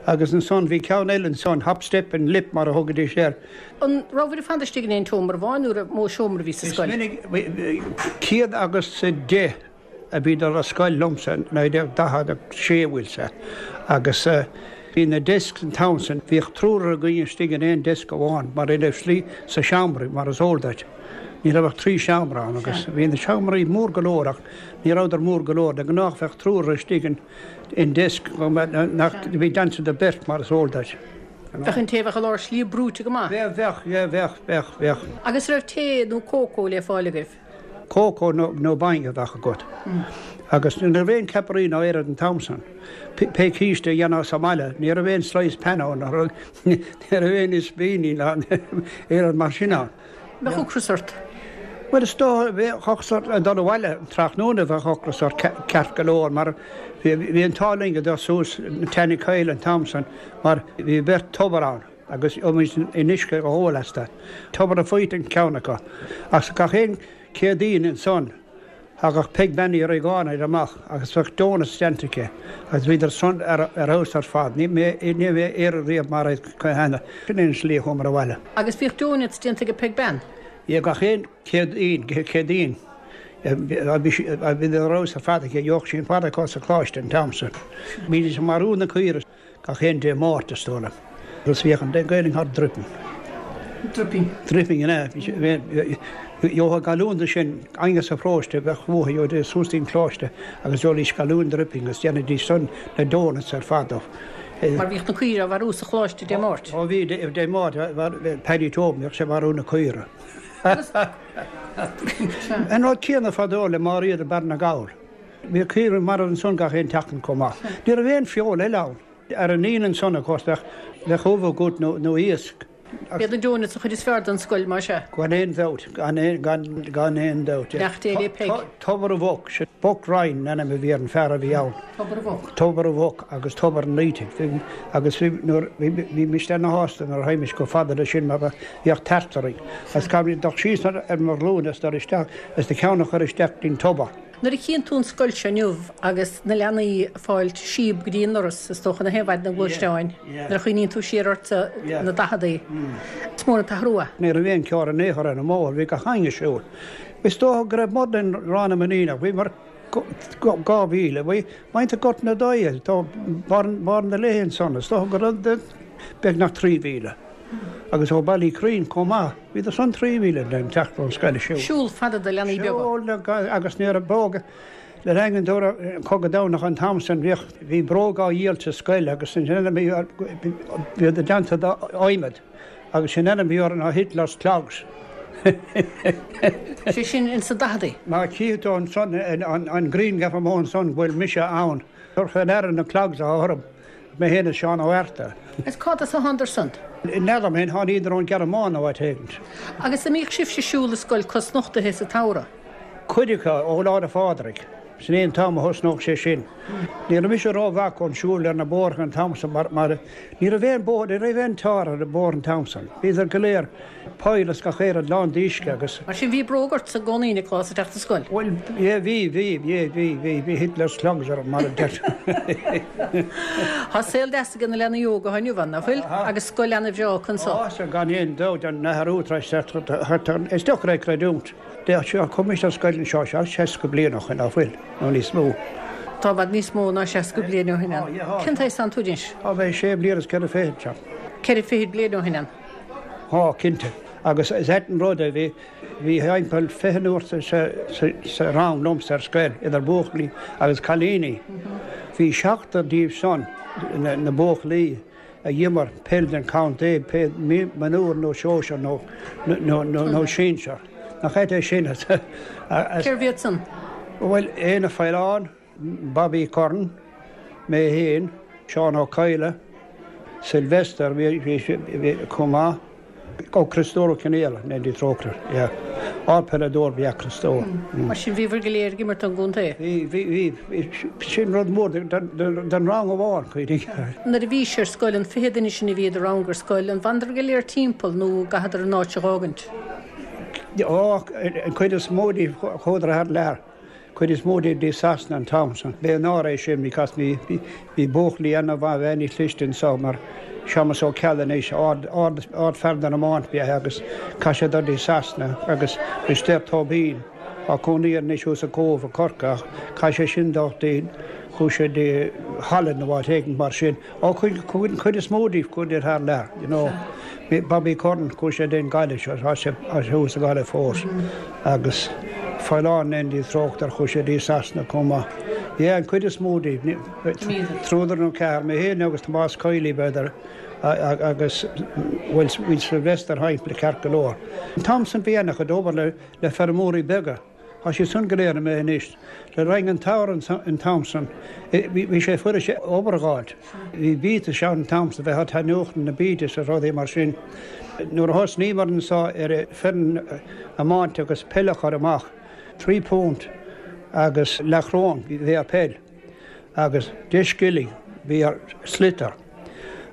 Agus ansan bhí ceann eile ansan, hop, step and lip mar a thugaidís air. An rabhabhair ag fanacht istigh in aon tseomra amháin nó raibh mó seomra a bhí sa scoil? Is minic, céad agus a deich a bhí dul ar scoil liomsa, naoi déag daichead a sé bhfuil sé, agus bhí na desks an t-am san, bhíodh triúr againn istigh in aon desk amháin mar ar slí sa seomra mar is eol duit. Ní raibh ach trí seomra ann agus bhí na seomraí mór go leor ach ní rabhadar mór go leor. De ghnáth bheadh triúr istigh in in desk nach bhí déanta do beirt mar is eol duit. Bheadh an té a bheadh i lár slí brúite go maith. Bheadh, bheadh, yeah, bheadh, bheadh, bheadh. Agus raibh tae nó cócó le fáil agaibh? Cócó nó nó bainne a bheadh agat. Agus ní raibh aon ceapairí ná aon rud an t-am san. Pé císte a dhéanfá sa mbaile, ní raibh aon slice pan ann, ní raibh aon ispíní ná aon rud mar sin ann. Bheadh ocras ort? Bhuel is dóigh, bheadh ocras ort ag dul abhaile tráthnóna bheadh ocras ort ceart go leor mar bhí an t-ádh linn go dul suas Tanny Coyle an t-am san mar bhí beirt tobar ann agus bhímis in uisce a ól astu. Tobar a' Phoirt an ceann acu. Ach gach aon Céadaoin ansan thagadh Peig Bean Uí Riagáin amach agus bheadh donuts déanta aici agus bhíodar san ar fheabhas ar fad. Ní raibh mé iarraidh riamh mar iad cheana. Sin é an slí a chuamar abhaile. Agus bhíodh donuts déanta ag Peig Bean? Yeah, gach aon Céadaoin, Céadaoin. Bhí ar fheabhas ar fad aici, gheobhadh sí an fad acu sa choláiste an t-am san. Bhídís ag marú na caoire gach aon Dé Máirt, is dóigh liom. Agus bhíodh an Gaelainn thar dripping. Dripping. Dripping, an ea? Gheofá galún de sin, éinne sa pharóiste, bheadh uathu, gheobhaidís suas dtí'n choláiste agus d'ólaidís galún dripping agus dhéanaidís san na donuts ar fad dóibh. Mar bhíodh na caoire á mharú sa choláiste Dé Máirt. Ó bhí, Dé Máirt, Paddy Tobin, bhíodh sé ag marú na caoire. An rud céanna fadó le Máiréad i mBarr na nGall. Bhíodh caoire marbh ansan gach aon tseachtain chomh maith. Ní raibh aon feoil eile ann. Ar an Aoine ansan, of course, bheadh bheadh ubh agat nó iasc. B'iad na donuts an chuid is fearr den scoil, más ea. Gan aon dabht, gan aon, gan, gan aon dabht. Beannacht Dé le Peig. Tobar a' Mhuc, sin Buck Ryan an ainm a bhí ar an fear a bhí ann. Tobar a' Mhuc. Tobar a' Mhuc agus Tobar an Fhaoitigh. Bhí, agus bhí, nuair, bhí, bhímis ana-shásta nuair a théimis chomh fada leis sin mar bheadh tart orainn. Agus caithfimid dul síos ar mo ghlúine is dul isteach is do cheann a chur isteach dtí'n tobar. Nuair a chíonn tú an scoil seo inniu agus na leanaí ag fáilt síob go dtí an ndoras, is dócha, na haon mhaidin na gluaisteáin, nuair a chuimhníonn tú siar ort sna daicheadaí, is mór an t-athrú é. Ní raibh aon charr in aon chor ar an mbóthar, bhí gach éinne ag siúl. Is dócha go raibh more than Ráth na Mainíneach, bhíomar dhá mhíle, bhí muintir Gort na Daighe, tá Barr na Léithe ansan, is dócha go raibh beagnach trí mhíle. Agus ó Baile Uí Churraoin chomh maith, bhíodar san trí mhíle ag teacht ón scoil ag siúl. Siúl fada do leanaí beaga. Siúl agus ní raibh bróga le rang an dara cogadh domhnach an t-am san bhíodh bhí bróga á dhíol sa scoil agus sin ainm a bhí bhíodar déanta d'adhmad agus sin ainm a bhí orthu ná Hitler's clogs. Sé sin ins na daicheadaí. Má chífidh tú ansan an grianghraf amuigh ansan go bhfuil mise ann, tabhair fé ndeara na clogs atá orm. Mé féin is Seán Ó Fhearta. Is cá as a thánadar san? N'fheadar mé, tháiníodar ón Ghearmáin nó áit éigint. Agus an mbíodh sibhse ag siúl ar scoil cosnochtaithe sa tsamhradh? Cuid acu, ó Lá 'le Phádraig. Sin é an t-am a thosnódh sé sin. Ní raibh mise rómhaith chun siúl ar na bóithre an t-am san mar mar ní raibh aon bóthar, ní raibh aon tar ar an bóthar an t-am san. Bhíodar go léir poill is gach aon rud lán d'uisce agus. Mar sin bhí bróg ortsa i gcónaí, Nioclás, ag teacht ar scoil? Bhuel, yeah, bhí, bhí, yeah, bhí, bhí, bhí Hitler's clogs orm, mar a deir. Tá saol deas ag na leanaí óga atá inniu ann, nach bhfuil? Agus scoil ana-bhreá acu anso. Tá, sea, gan aon dabht, an athrú tar éis teacht, is deacair é creidiúint. Chuaigh mise ar scoil anseo seasca bliain ó shin, nach bhfuil, nó níos mó. Tá i bhfad níos mó ná seasca bliain ó shin ann. Cén t-aois atánn tú anois? Tá mé sé bliana is ceithre fichid, sea. Ceithre fichid bliain ó shin ann. Tá, cinnte. Agus is ait an rud é, bhí, bhí thimpeall fiche nó sa, sa, sa rang liomsa ar scoil, idir buachaillí agus cailíní. Bhí seachtar díobh san, na, na buachaillí, a d'imir peil don chontae, pé mionúr nó sóisear nó, nó, nó, nó sinsear. Nach ait é sin? Cérbh iad san? Bhuel, Éanna Faoláin, Bobby Curran, mé féin, Seán Ó Cadhla, Sylvester, bhí, bhí, bhí chomh maith, ó Criostóir Ó Cionnaola, go ndéana Dia trócaire air, yeah. Ardpheileadóir ba ea Criostóir. Mar sin bhíobhair go léir ag imirt don gcontae? Bhí, bhí, bhí. Sin rud mór don rang amháin, cuimhnigh. Nuair a bhís ar scoil, an fiche duine sin a bhí i do rang ar scoil, an bhfanadar go léir timpeall nó an gcaitheadar an áit a dh'fhágaint? Ó, an chuid is mó díobh chuadar thar lear. Cuid is mó díobh dtí Sasana an t-am san. B'é náire é sin because bhí bhí buachaillí ana-mhaith ana-chliste anso mar Séamus Ó Ceallaigh anois, ard ard ardfhear den iomáint ba ea é agus chaith sé dul dtí Sasana agus Risteard Tóibín, tá cónaí air anois thuas i gCóbh i Corcaigh ach chaith sé sin dul dtí Chuaigh sé dtí Holland nó áit éigin mar sin. Ó chuaigh an chuid is mó díobh chuaigh thar lear, you know. Bobby Curran chuaigh sé dtí an Ghaillimh, tá sé thuas sa Ghaillimh fós. Agus Faoileán Andy Tróctar chuaigh sé dtí Sasana chomh maith. Yeah, an chuid is mó díobh, triúr nó ceathrar, mé féin agus Tomás Kiely b'fhéidir agus bhuel bhí Sylvester thimpeall ceart go leor. An t-am san bhí an-chuid obair le le feirmeoirí beaga. Tá siad san go léir imithe anois. Le roinn an tsamhraidh an t-am san bhí sé fuirist obair a dh'fháilt. Bhí biatais ann an t-am san bheith á taitneochtain na biatais is rudaí mar sin. Nuair a thosnaíomar anso ar foireann iomáinte agus peil a chur amach, trí phunt agus leathchróin bhí ar peil agus deich scilling bhí ar sliotar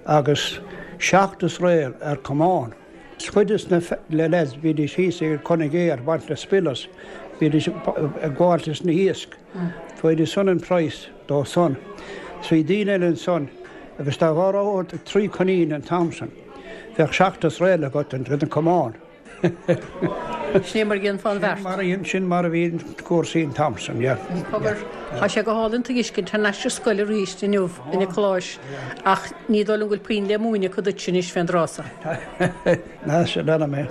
agus seacht is réal ar camán. Cuid des na lads bhídís thíos ag Conn Géar ag baint na spillos, bhídís ag gabháilt leis na hiasc. Bhfaighidís san an praghas dó san. 'S bhí daoine eile ansan agus dá mharódh trí coinín an t-am san, bheadh seacht is réal agat don camán. Sin é mar a dhéanfá an bheart. Sin mar a bhí cúrsaí an t-am san, yeah. Cogar, tá sé go hálainn tuiscint thar n-ais ar scoil arís inniu a Niocláis ach ní dóigh liom go bhfuil puinn le múineadh acu duit anois fén dtráth so. Ná sin ainm é.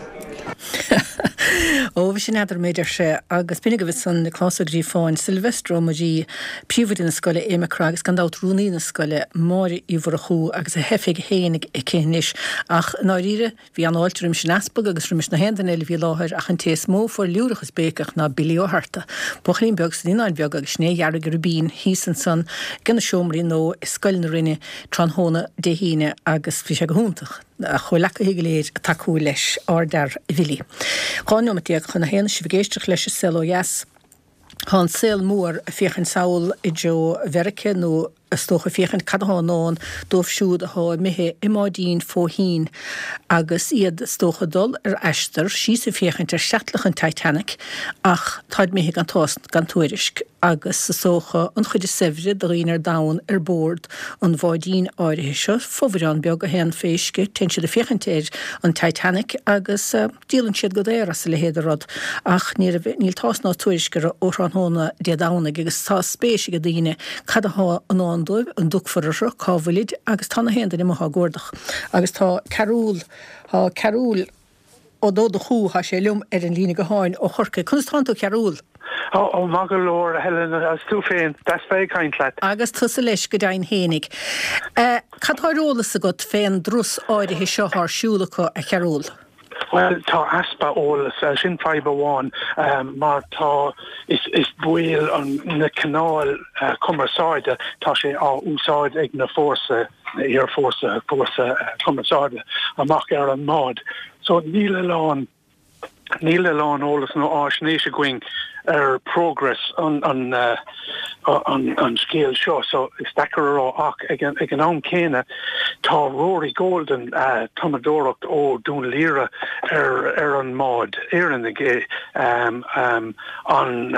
Ó, bhí sin eadar mé, deir sé, agus b'in agaibh ansan Nioclás Ó Gríofáin, Sylvester Ó Muirí, príomhoide na scoile, Aodh Mac Craith agus gan dabht rúnaí na scoile, Máire Uí Mhurchú agus a hoifig fhéinig aici anois. Ach i ndáiríre, Bhí an-fháilte roimis an Easpag agus roimis na haon duine eile a bhí i láthair ach an té is mó a fuair liúrach is béiceach ná Billy Ó hArta, buachaillín beag sna Naíonáin Bheaga agus sin é a dhearg a ribín thíos ansan ag na seomraí nó i Scoil na Rinne tráthnóna Dé hAoine agus bhí sé go hiontach a chomhleacaithe go léir ag tacú leis, ardfhear a Bhilly. Dhá neomat déag chun a haon is sibh ag éisteacht leis an Saol Ó Dheas. Tá an saol mór ag féachaint sall i dtreo Mheirice nó is dócha féachaint cad athá i ndán dóibh siúd athá imithe i mbáidín fó thoinn agus iad is dócha dul ar aistear síos ag féachaint ar chreatlach an Titanic ach táid imithe gan tásc gan tuairisc agus is dócha an chuid is saibhre de dhaoine ar domhan ar bord an bháidín áirithe seo, fomhuireán beag a théann fé uisce, téann siad ag féachaint ar an Titanic agus díolann siad go daor as a leithéid de rud ach ní raibh, níl tásc ná tuairisc orthu ó thráthnóna Dé Domhnaigh agus tá spéis ag daoine cad athá i ndán dóibh, an dtiocfar orthu, cá bhfuilid agus tá na haon duine amuigh á gcuardach agus tá Cearúll, tá Cearúll Ó Donnchú, tá sé liom ar an líne gutháin ó Chorcaigh. Conas tánn tú, a Chearúil? Ó, maith go leor, a Helen, agus tú féin? Deas bheith ag caint leat. Agus tusa leis, go deimhin fhéinig. Cad tá ar eolas agat fén dturas áirithe seo thá ar siúl acu, a Chearúil? Bhuel, tá easpa eolas, sin fadhb amháin, mar tá, is baol an na cineál cumarsáide, tá sé á úsáid ag na fórsa, na haerfhórsa, fórsa cumarsáide amach ar an mbád. So níl a lán, níl a lán eolas nó fháisnéis againn ar progress an, an, an, an scéal seo so is deacair a rá ach ag an, ag an am céanna tá Rory Golden, tumadóireacht ó Dún Laoghaire ar, ar an mbád, Éireannaigh é, an,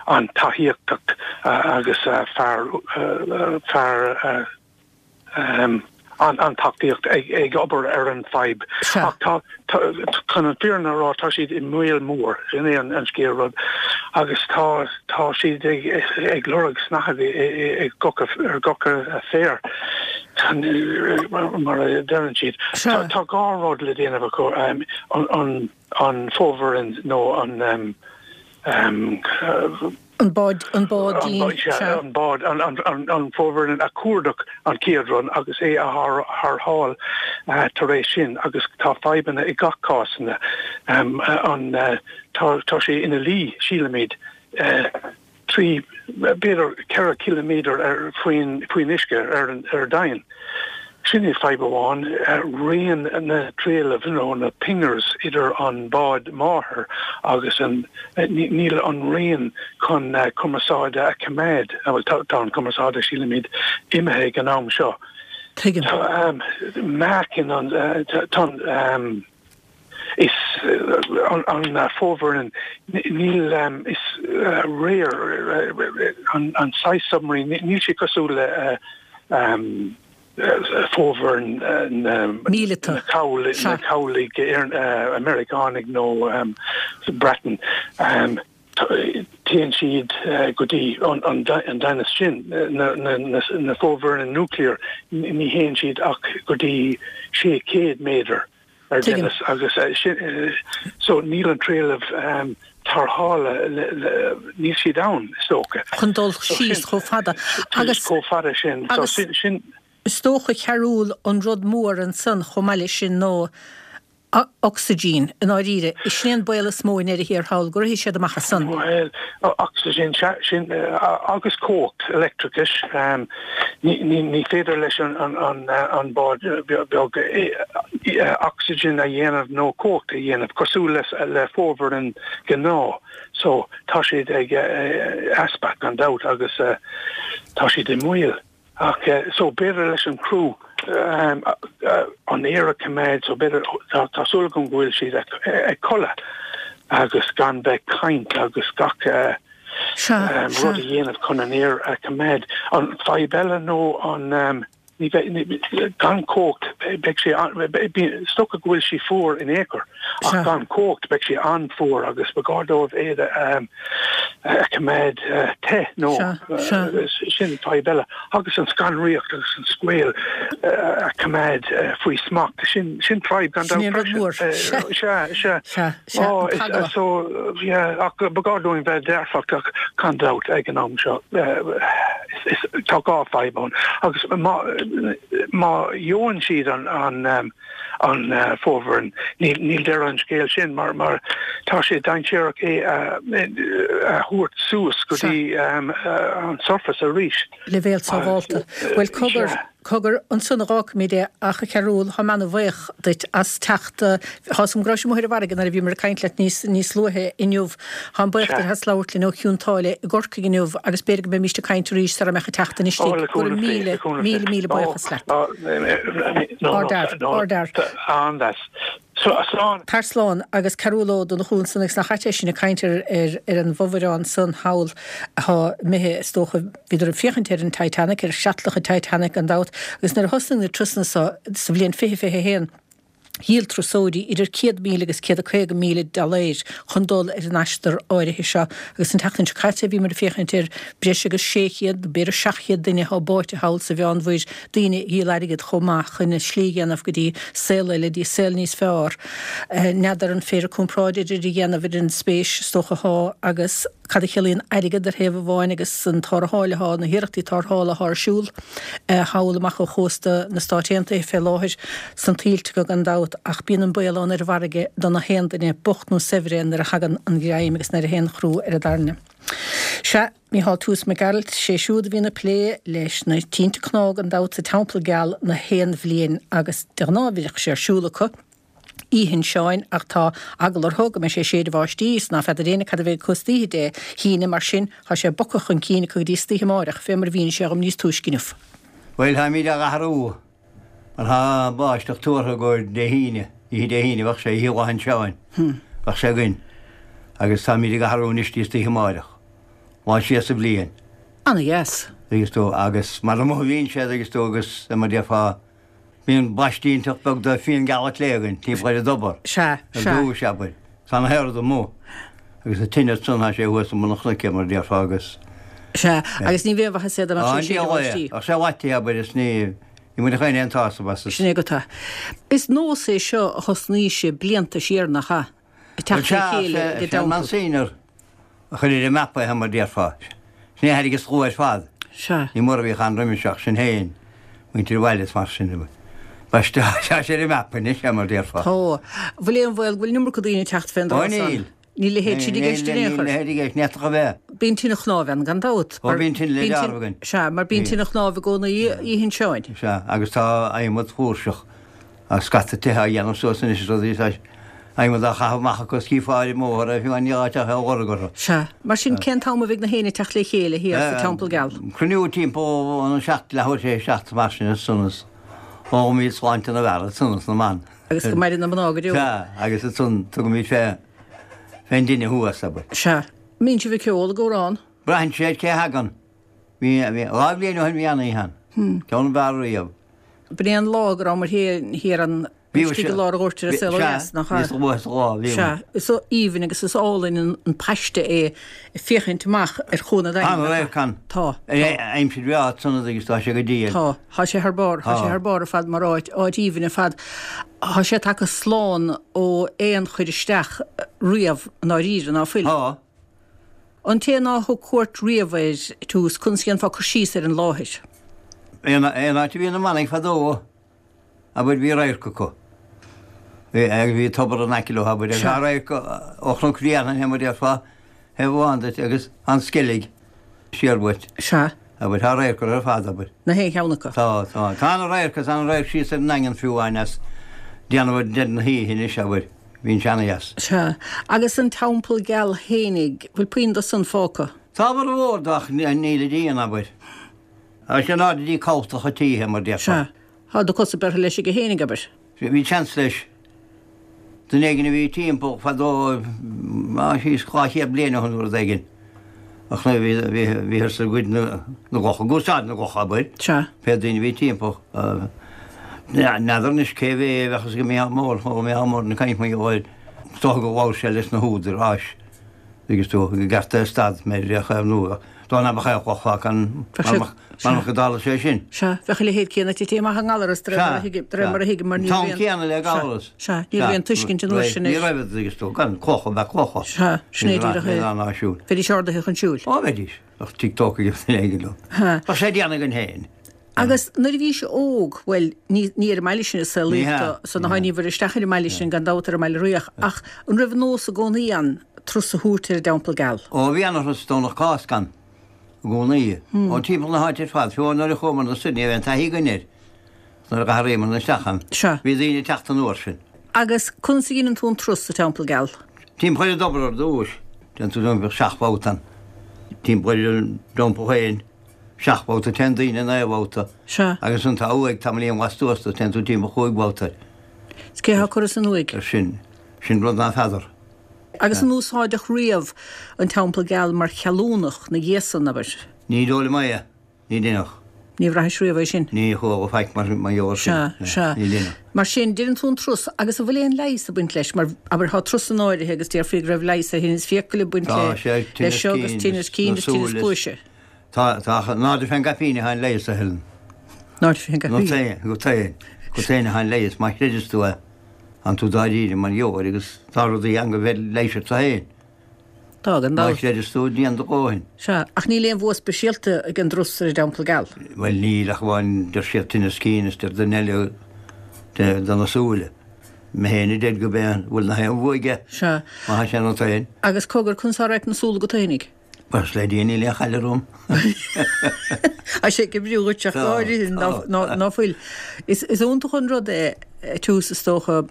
an taithíochtach agus fear, fear, an tacaíocht ag obair ar an fadhb. Ach tá, chun an fírinne a rá, tá siad i mbaol mór, sin é an scéal rud, agus tá, tá siad ag lorg snáthaid i gcoca, ar gcoca féir, mar a deireann siad. Tá dhá rud le déanamh acu, an, an fomhuireán nó an, An bád, an báidín, sea. An bád, an fomhuireán a chuardach an chéad rud agus é a tharrtháil tar éis sin agus tá fadhbanna i gach cásanna. An, tá sé ina luí, sílimid, trí, b'fhéidir ceithre chiliméadar ar, faoin, faoin uisce ar an, ar domhain. Sin é fadhb amháin, raon na dtrealamh nó na pingers idir an bád máthair agus an, níl an raon chun cumarsáide a choimeád, bhuel tá an cumarsáide sílimid imithe ag an am seo. Tuigim. Tá meáchan an, tá an, is an fomhuireán, níl, is rare an saghas submarine, níl sé cosúil le fomhuireán na Míleata. na cabhlaigh Meiriceánaigh nó Breatain. Téann siad go dtí an doimhneas sin, na fomhuireáin nuclear, ní théann siad ach go dtí sé chéad méadar ar doimhneas agus so níl an trealamh tarrthála, níl siad ann is dócha. Chun dul síos chomh fada agus. Chomh fada sin. So sin. Is dócha, a Chearúil, an rud mór ansan chomh maith leis sin ná ocsaigin, i ndáiríre. Sin é an baol is mó i ndeireadh thiar thall, go rithfidh siad amach as san. Bhuel, ocsaigin, sea, sin, agus cumhacht leictreachais. Ní féidir leis an bád beag ocsaigin a dhéanamh nó cumhacht a dhéanamh, cosúil le fomhuireán gnáth. So, tá siad ag easpa, gan dabht, agus tá siad i mbaol. Ach so b'fhéidir leis an criú an aer a choimeád so b'fhéidir tá súil agam go bhfuil siad ag codladh agus gan bheith ag caint agus gach rud a dhéanamh chun an aer a choimeád. An fadhb eile nó an ní bheidh gan cumhacht beidh sé is dócha go bhfuil sé fuar in aon chor ach gan cumhacht beidh sé an-fhuar agus ba ghá dóibh iad a a choimeád te nó sin fadhb eile agus an scanraíocht agus an scaoll a choimeád faoi smacht sin sin fadhb gan dabht freisin. Sea, sea. Sea, sea, an t-eagla. So, yeah, ach ba ghá dúinn bheith dearfach ach gan dabht ag an am seo tá dhá fadhb ann agus má má gheobhann siad an an an fomhuireán. Níl deireadh an scéil sin mar mar tá sé dainséarach é a thabhairt suas go dtí an surface arís. Leibhéal sábhálta. Bhuel, cogar, cogar, ansan a dh'fhágfaimid é ach a Chearúil, táim ana-bhaoch duit as teacht, tá 'fhios a'm go raibh sibh amuigh ar an bhfarraige nuair a bhíomar ag caint leat níos, níos luaithe inniu. Táim buíoch duit as labhairt linn ó Chionn tSáile i gCorcaigh inniu agus b'fhéidir go mbeimíst ag caint arís sara mbeadh an tseachtain istigh. Go raibh míle, míle, míle buíochas leat. Ardfhear, ardfhear. Slán. Tar slán. Agus Cearúl Ó Donnchú ansan agus nach ait é sin ag caint ar ar an bhfomhuireán san thall atá imithe is dócha bhíodar ag féachaint ar an Titanic, ar chreatlach an Titanic gan dabht agus nuair a thosnaigh na turasanna so sa bhliain fiche fiche a haon, Dhíol turasóirí idir céad míle agus céad a caoga míle dollaeir chun dul ar an aistear áirithe seo agus an tseachtain seo caite bhíomar ag féachaint ar breis agus sé chéad, nó b'fhéidir seacht chéad duine atá báite thall sa Mheánmhuir, daoine a dhíol airgead chomh maith chun a slí a dhéanamh go dtí saol eile, dtí saol níos fearr. N'fheadar an féidir comparáid idir a dhéanamh idir an spéis is dócha atá agus. Cad a chiallaíonn airgead ar thaobh amháin agus an tarrtháil atá, na hiarrachtaí tarrthála atá ar siúl thall amach ó chósta na Stáit Aontaithe fé láthair, sna tuilte acu gan dabht, ach bíonn an baol ann ar an bhfarraige do na haon duine, bocht nó saibhir é, nuair a thagann an ghreim agus nuair a théann an crú ar an dtairne. Sea, Mícheál Toose Mac Gearailt, sé siúd a bhíonn ag plé leis na tinte cnámh gan dabht sa Teampall Geal na haon bhliain agus de ghnáth bhíodh sé ar siúl acu, Oíche Shin Seáin ach tá eagla orthu go mbeidh sé ag séideadh báistí is ná feadar éinne cad a bheidh acu istoíche Dé hAoine mar sin tá sé bogtha chun cinn acu go dtí istoíche amáireach fé mar a mhínigh sé dhom níos túisce inniu. Bhuel, táimid á athrú mar tá báisteach tuartha go Dé hAoine, oíche Dé hAoine bheadh sé, oíche Lá Shin Seáin bheadh sé againn agus táimid ag athrú anois dtí istoíche amáireach, lá siar sa bhliain. Ana dheas. Agus tú, agus mar amuigh a bhíonn siad agus tú agus mar a déarfá, Bíonn blaistín beag de fíon geal an tslé againn timpeall ar an dtobar. Sea, Ar sea. dtúis, abair. Tá na hairde amuigh. Agus an tine ansan, tá sé thuas i mbun an chnoic, mar a déarfá, agus. Sea, agus ní bheadh aon mhaitheas é dá mbeadh Á, sé ag séideadh an báistí. Bheadh sé leáite, abair, is ní, ní bhainfeadh éinne aon tsásamh as. Sin é go tá. Is nós é seo a thosnaigh sibh blianta siar, nach ea? Ag teacht le chéile ag an Sea, an dteampall. Monsignor a chuir ar an mapa é, mar a déarfá. Sin é a thairg an slua ar fad. Sea. Ní mór a bhíodh ann roimis ach sinn féin, muintir an bhaile is mar sin. Bhuel tá sé ar an mapa anois, mar a déarfá. Tá. Bhfuil aon bhaol go bhfuil an iomarca daoine ag teacht fén Ó dtráth san? níl. Níl a leithéid sin i gceist in aon chor. Níl a leithéid i gceist, ní fhéadfadh a bheith. Bíonn tine chnámh ann gan dabht. Ó bíonn tine le dealramh againn. Sea, mar bíonn tine chnámh i gcónaí Oíche Shin Seáin. Sea, agus tá adhmad flúirseach. Tá scata tithe á dhéanamh suas anois is rudaí tá adhmad á chaitheamh amach acu is cífeá ar an mbóthar é fiú níl áit ach é a lorg orthu. Sea. Mar sin cén t-am a bheidh na héinne ag teacht le chéile thiar sa Teampall Geal? Cruinniú timpeall an seacht, leathuair tar éis a seacht mar sin ansan is ólaimid sláinte na bhfear ansan is na mban. Agus go maire na mná go deo. Sea, agus ansan tugaimid fé fén dtine thuas, abair. Sea. Mbíonn sibh ag ceol, ag amhrán? Braitheann sé ar cé a thagann. Bhí, bhí, dhá bhliain ó shin bhí an-oíche ann. Ceann ab fhearr riamh. B'in é an lá go rabhamar thiar an Istigh i lár an ghoirt ar an saol ó dheas, nach ea? Sea, bhíos luath sa lá, bhí. Sea, is aoibhinn agus is álainn an paiste é ag féachaint amach ar Chuan an Daingin. An-radharc ann. Tá, tá. Aimsir bhreá ansan agus tá sé go diail. Tá, tá sé thar barr, tá sé thar barr ar fad mar áit, áit aoibhinn ar fad. Tá sé tagtha slán ó aon chur isteach riamh i ndáiríre, ná fuil? Tá. An té ná thug cuairt riamh air, tús, conas a dhéanfá cur síos ar an láthair? Aon áit a bhí na manaigh fadó. Abair, bhí radharc acu. Bhí, agus bhí tobar in aice leo, abair, agus tá radharc ó Chnoc Bhréanainn, mar a déarfá, thaobh amháin duit agus an Sceilg siar uait. Sea. Abair, tá radharc orthu ar fad, abair. Na haon cheann acu. Tá, tá. Tá ana-radharc agus ana-radharc síos ar an nDaingean fiú amháin as déanamh ar deireadh na hoíche anois, abair. Bhíonn sé ana-dheas. Sea. Agus an Teampall Geal fhéinig, bhfuil puinn de san fágtha? Tá formhór de ach níl a díon, abair. Tá sé in airde dtí cabhlach an títhe, mar déarfá. Sea. Tá do chosa beirthe leis aige fhéinig, abair. Bhí seans leis. Duine éigin a bhí timpeall fadó, á, síos dhá chéad bliain ó shin nó rud éigin, ach nuair a bhí, bhíothas ag goid na gcloch, ag úsáid na gcloch, abair. Sea. Pé daoine a bhí timpeall. N'fheadar anois cé mhéad a bheadh fhios ag Mícheál Mór, chuala Mícheál Mór ag caint mar gheall air, is dócha gur labhair sé leis na húdaráis agus tú i gceart é stad mé a chaomhnú. Dá mbeadh aon chloch fágtha ann, mar go dtarla sé sin. Sea, bheadh a leithéid céanna tite amach i nGallaras, de réir mar a thuigim, mar ní raibh aon. An t-am céanna le Gallaras. Sea, ní raibh aon tuiscint an uair sin air. Ní raibh, agus tú, gan clocha, bheadh clocha. Sea, sin é díreach é. Bheidís ardaithe chun siúil. Ó, bheidís. Bheadh tigh tógtha ag duine éigin leo. Bheadh sé déanamh againn féin. Agus nuair a bhís óg, bhuel, ní ní ar an mbaile sin a saolaíodh tú, so ná tháiníobhair isteach ar an mbaile sin gan dabht ar an mbaile Riach, ach an raibh nós i gcónaí ann turas a thabhairt ar an dTeampall Geal? Ó, bhí ana-thuras Domhnach Cásca ann i gcónaí. Ó, timpeall na háite ar fad, fiú nuair a chuamar soir, ní raibh aon taithí againn air nuair a d'athraíomar isteach ann. Sea. Bhí daoine ag teacht an uair sin. Agus conas a dheineann tú an turas sa Teampall Geal? Timpeall ar an dtobar ar dtúis. Déanann tú timpeall seacht mbabhta ann. Timpeall ar an dteampall féin. Seacht mbabhta, téann daoine naoi mbabhta. Sea. Agus an tá uaigh tamaillín lastuas de, téann tú timpeall chúig bhabhta air. Is cé atá curtha san uaigh? Ar sin, sin rud ná feadar. Agus an úsáideadh riamh an Teampall Geal mar cheallúnach na gcéasann, abair? Ní dóigh liom é. Ní deineadh. Ní bhraithis riamh é sin? Ní chuala faic mar gheall air sin. Sea, sea. Ní deineadh. Mar sin, deineann tú an turas agus an bhfuil aon leigheas ag baint leis? Mar, abair, tá turas in áirithe agus déarfaí go raibh leigheas ar thinneas fiacaile ag baint Tá, le sé, seo agus tinneas tinneas cinn cinn is tinneas cluaise. Tá, tá, ach in airde fén gcaipín atá an leigheas, a Helen. In airde fén Go gcaipín. féin, go féin, go féin atá an leigheas, má chreideas tú é, tánn tú dáiríre mar gheall air agus tá rudaí ann go bhféadfaí leigheas ort féin. Tá, gan Má dabht. chreideas tú, déan do dhóthain. Sea, ach níl aon bhua speisialta ag an dturas ar an dTeampall Geal. Bhuel, níl ach amháin deir siad tinneas cinn is deir duine eile de, de na súile. Mé féin a deir go b'é an bhfuil na haon bhua aige. Sea. Má tá sé ionat féin. Agus cogar, conas atá radharc na súl agat fhéinig? Buíochas le Dia níl aon chailleadh romham. Tá sé ag oibriú dhuit ach go háirithe ná fuil. Is iontach an rud é tús is dócha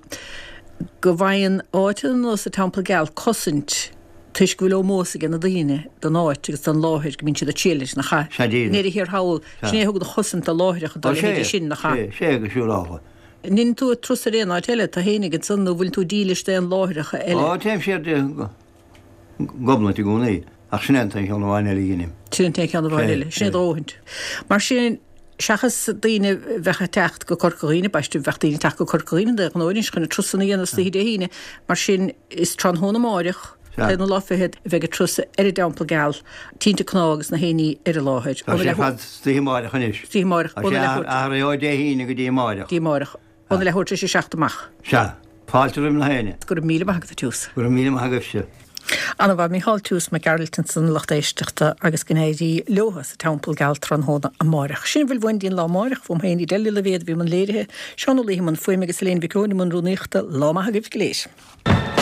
go bhfaigheann áit ar nós an Teampall Geal cosaint toisc go bhfuil ómós ag na daoine don áit agus don láthair go mbíonn siad ag triall leis nach ea? Sea díreach. I ndeireadh thiar thall, sin é a thugann an chosaint do láithreacha dá leithéidí sin, nach ea? Sea, sea go siúrálta. An ndeineann tú turas ar aon áit eile, tú fhéinig ansan nó bhfuil tú dílis d'aon láithreacha eile? Ó, téim siar go. Gobnait i gcónaí, ach sin é an t-aon cheann amháin eile a dheinim. Sin an t-aon cheann amháin eile. Sin é do dhóthaint. Mar sin, seachas daoine a bheadh ag teacht go Corca Dhuibhne, b'aisteach bheadh daoine ag teacht go Corca Dhuibhne de ghnáth anois chun na turasanna a dhéanamh istoíche Dé hAoine, mar sin, is tráthnóna amáireach, an t-aonú lá fichead, a bheidh an turas ar an dTeampall Geal, tinte cnámh agus na haon ní ar an láthair. Tá sé ar fad istoíche amáireach anois. Istoíche amáireach. Tá sé athraithe ó Dé hAoine go dtí amáireach. Dtí amáireach. Óna leathuair tar éis a seacht amach. Sea. Fáilte roimh na héinne. Go raibh míle maith agat, a Tiús. Go raibh míle maith agaibhse. Ana-mhaith, Mícheál Tiús Mac Gearailt ansan, lucht éisteachta agus go n-éirí leotha sa Teampall Geal tráthnóna amáireach. Sin a bhfuil uainn dtí'n lá amáireach, fúm féin Edel Ní Loibhéad a bhí i mbun léirithe, Seán Ó Laoithe i mbun fuaime agus Elaine Mhic Eoin i mbun rúnaíochta. Lá maith agaibh go léir.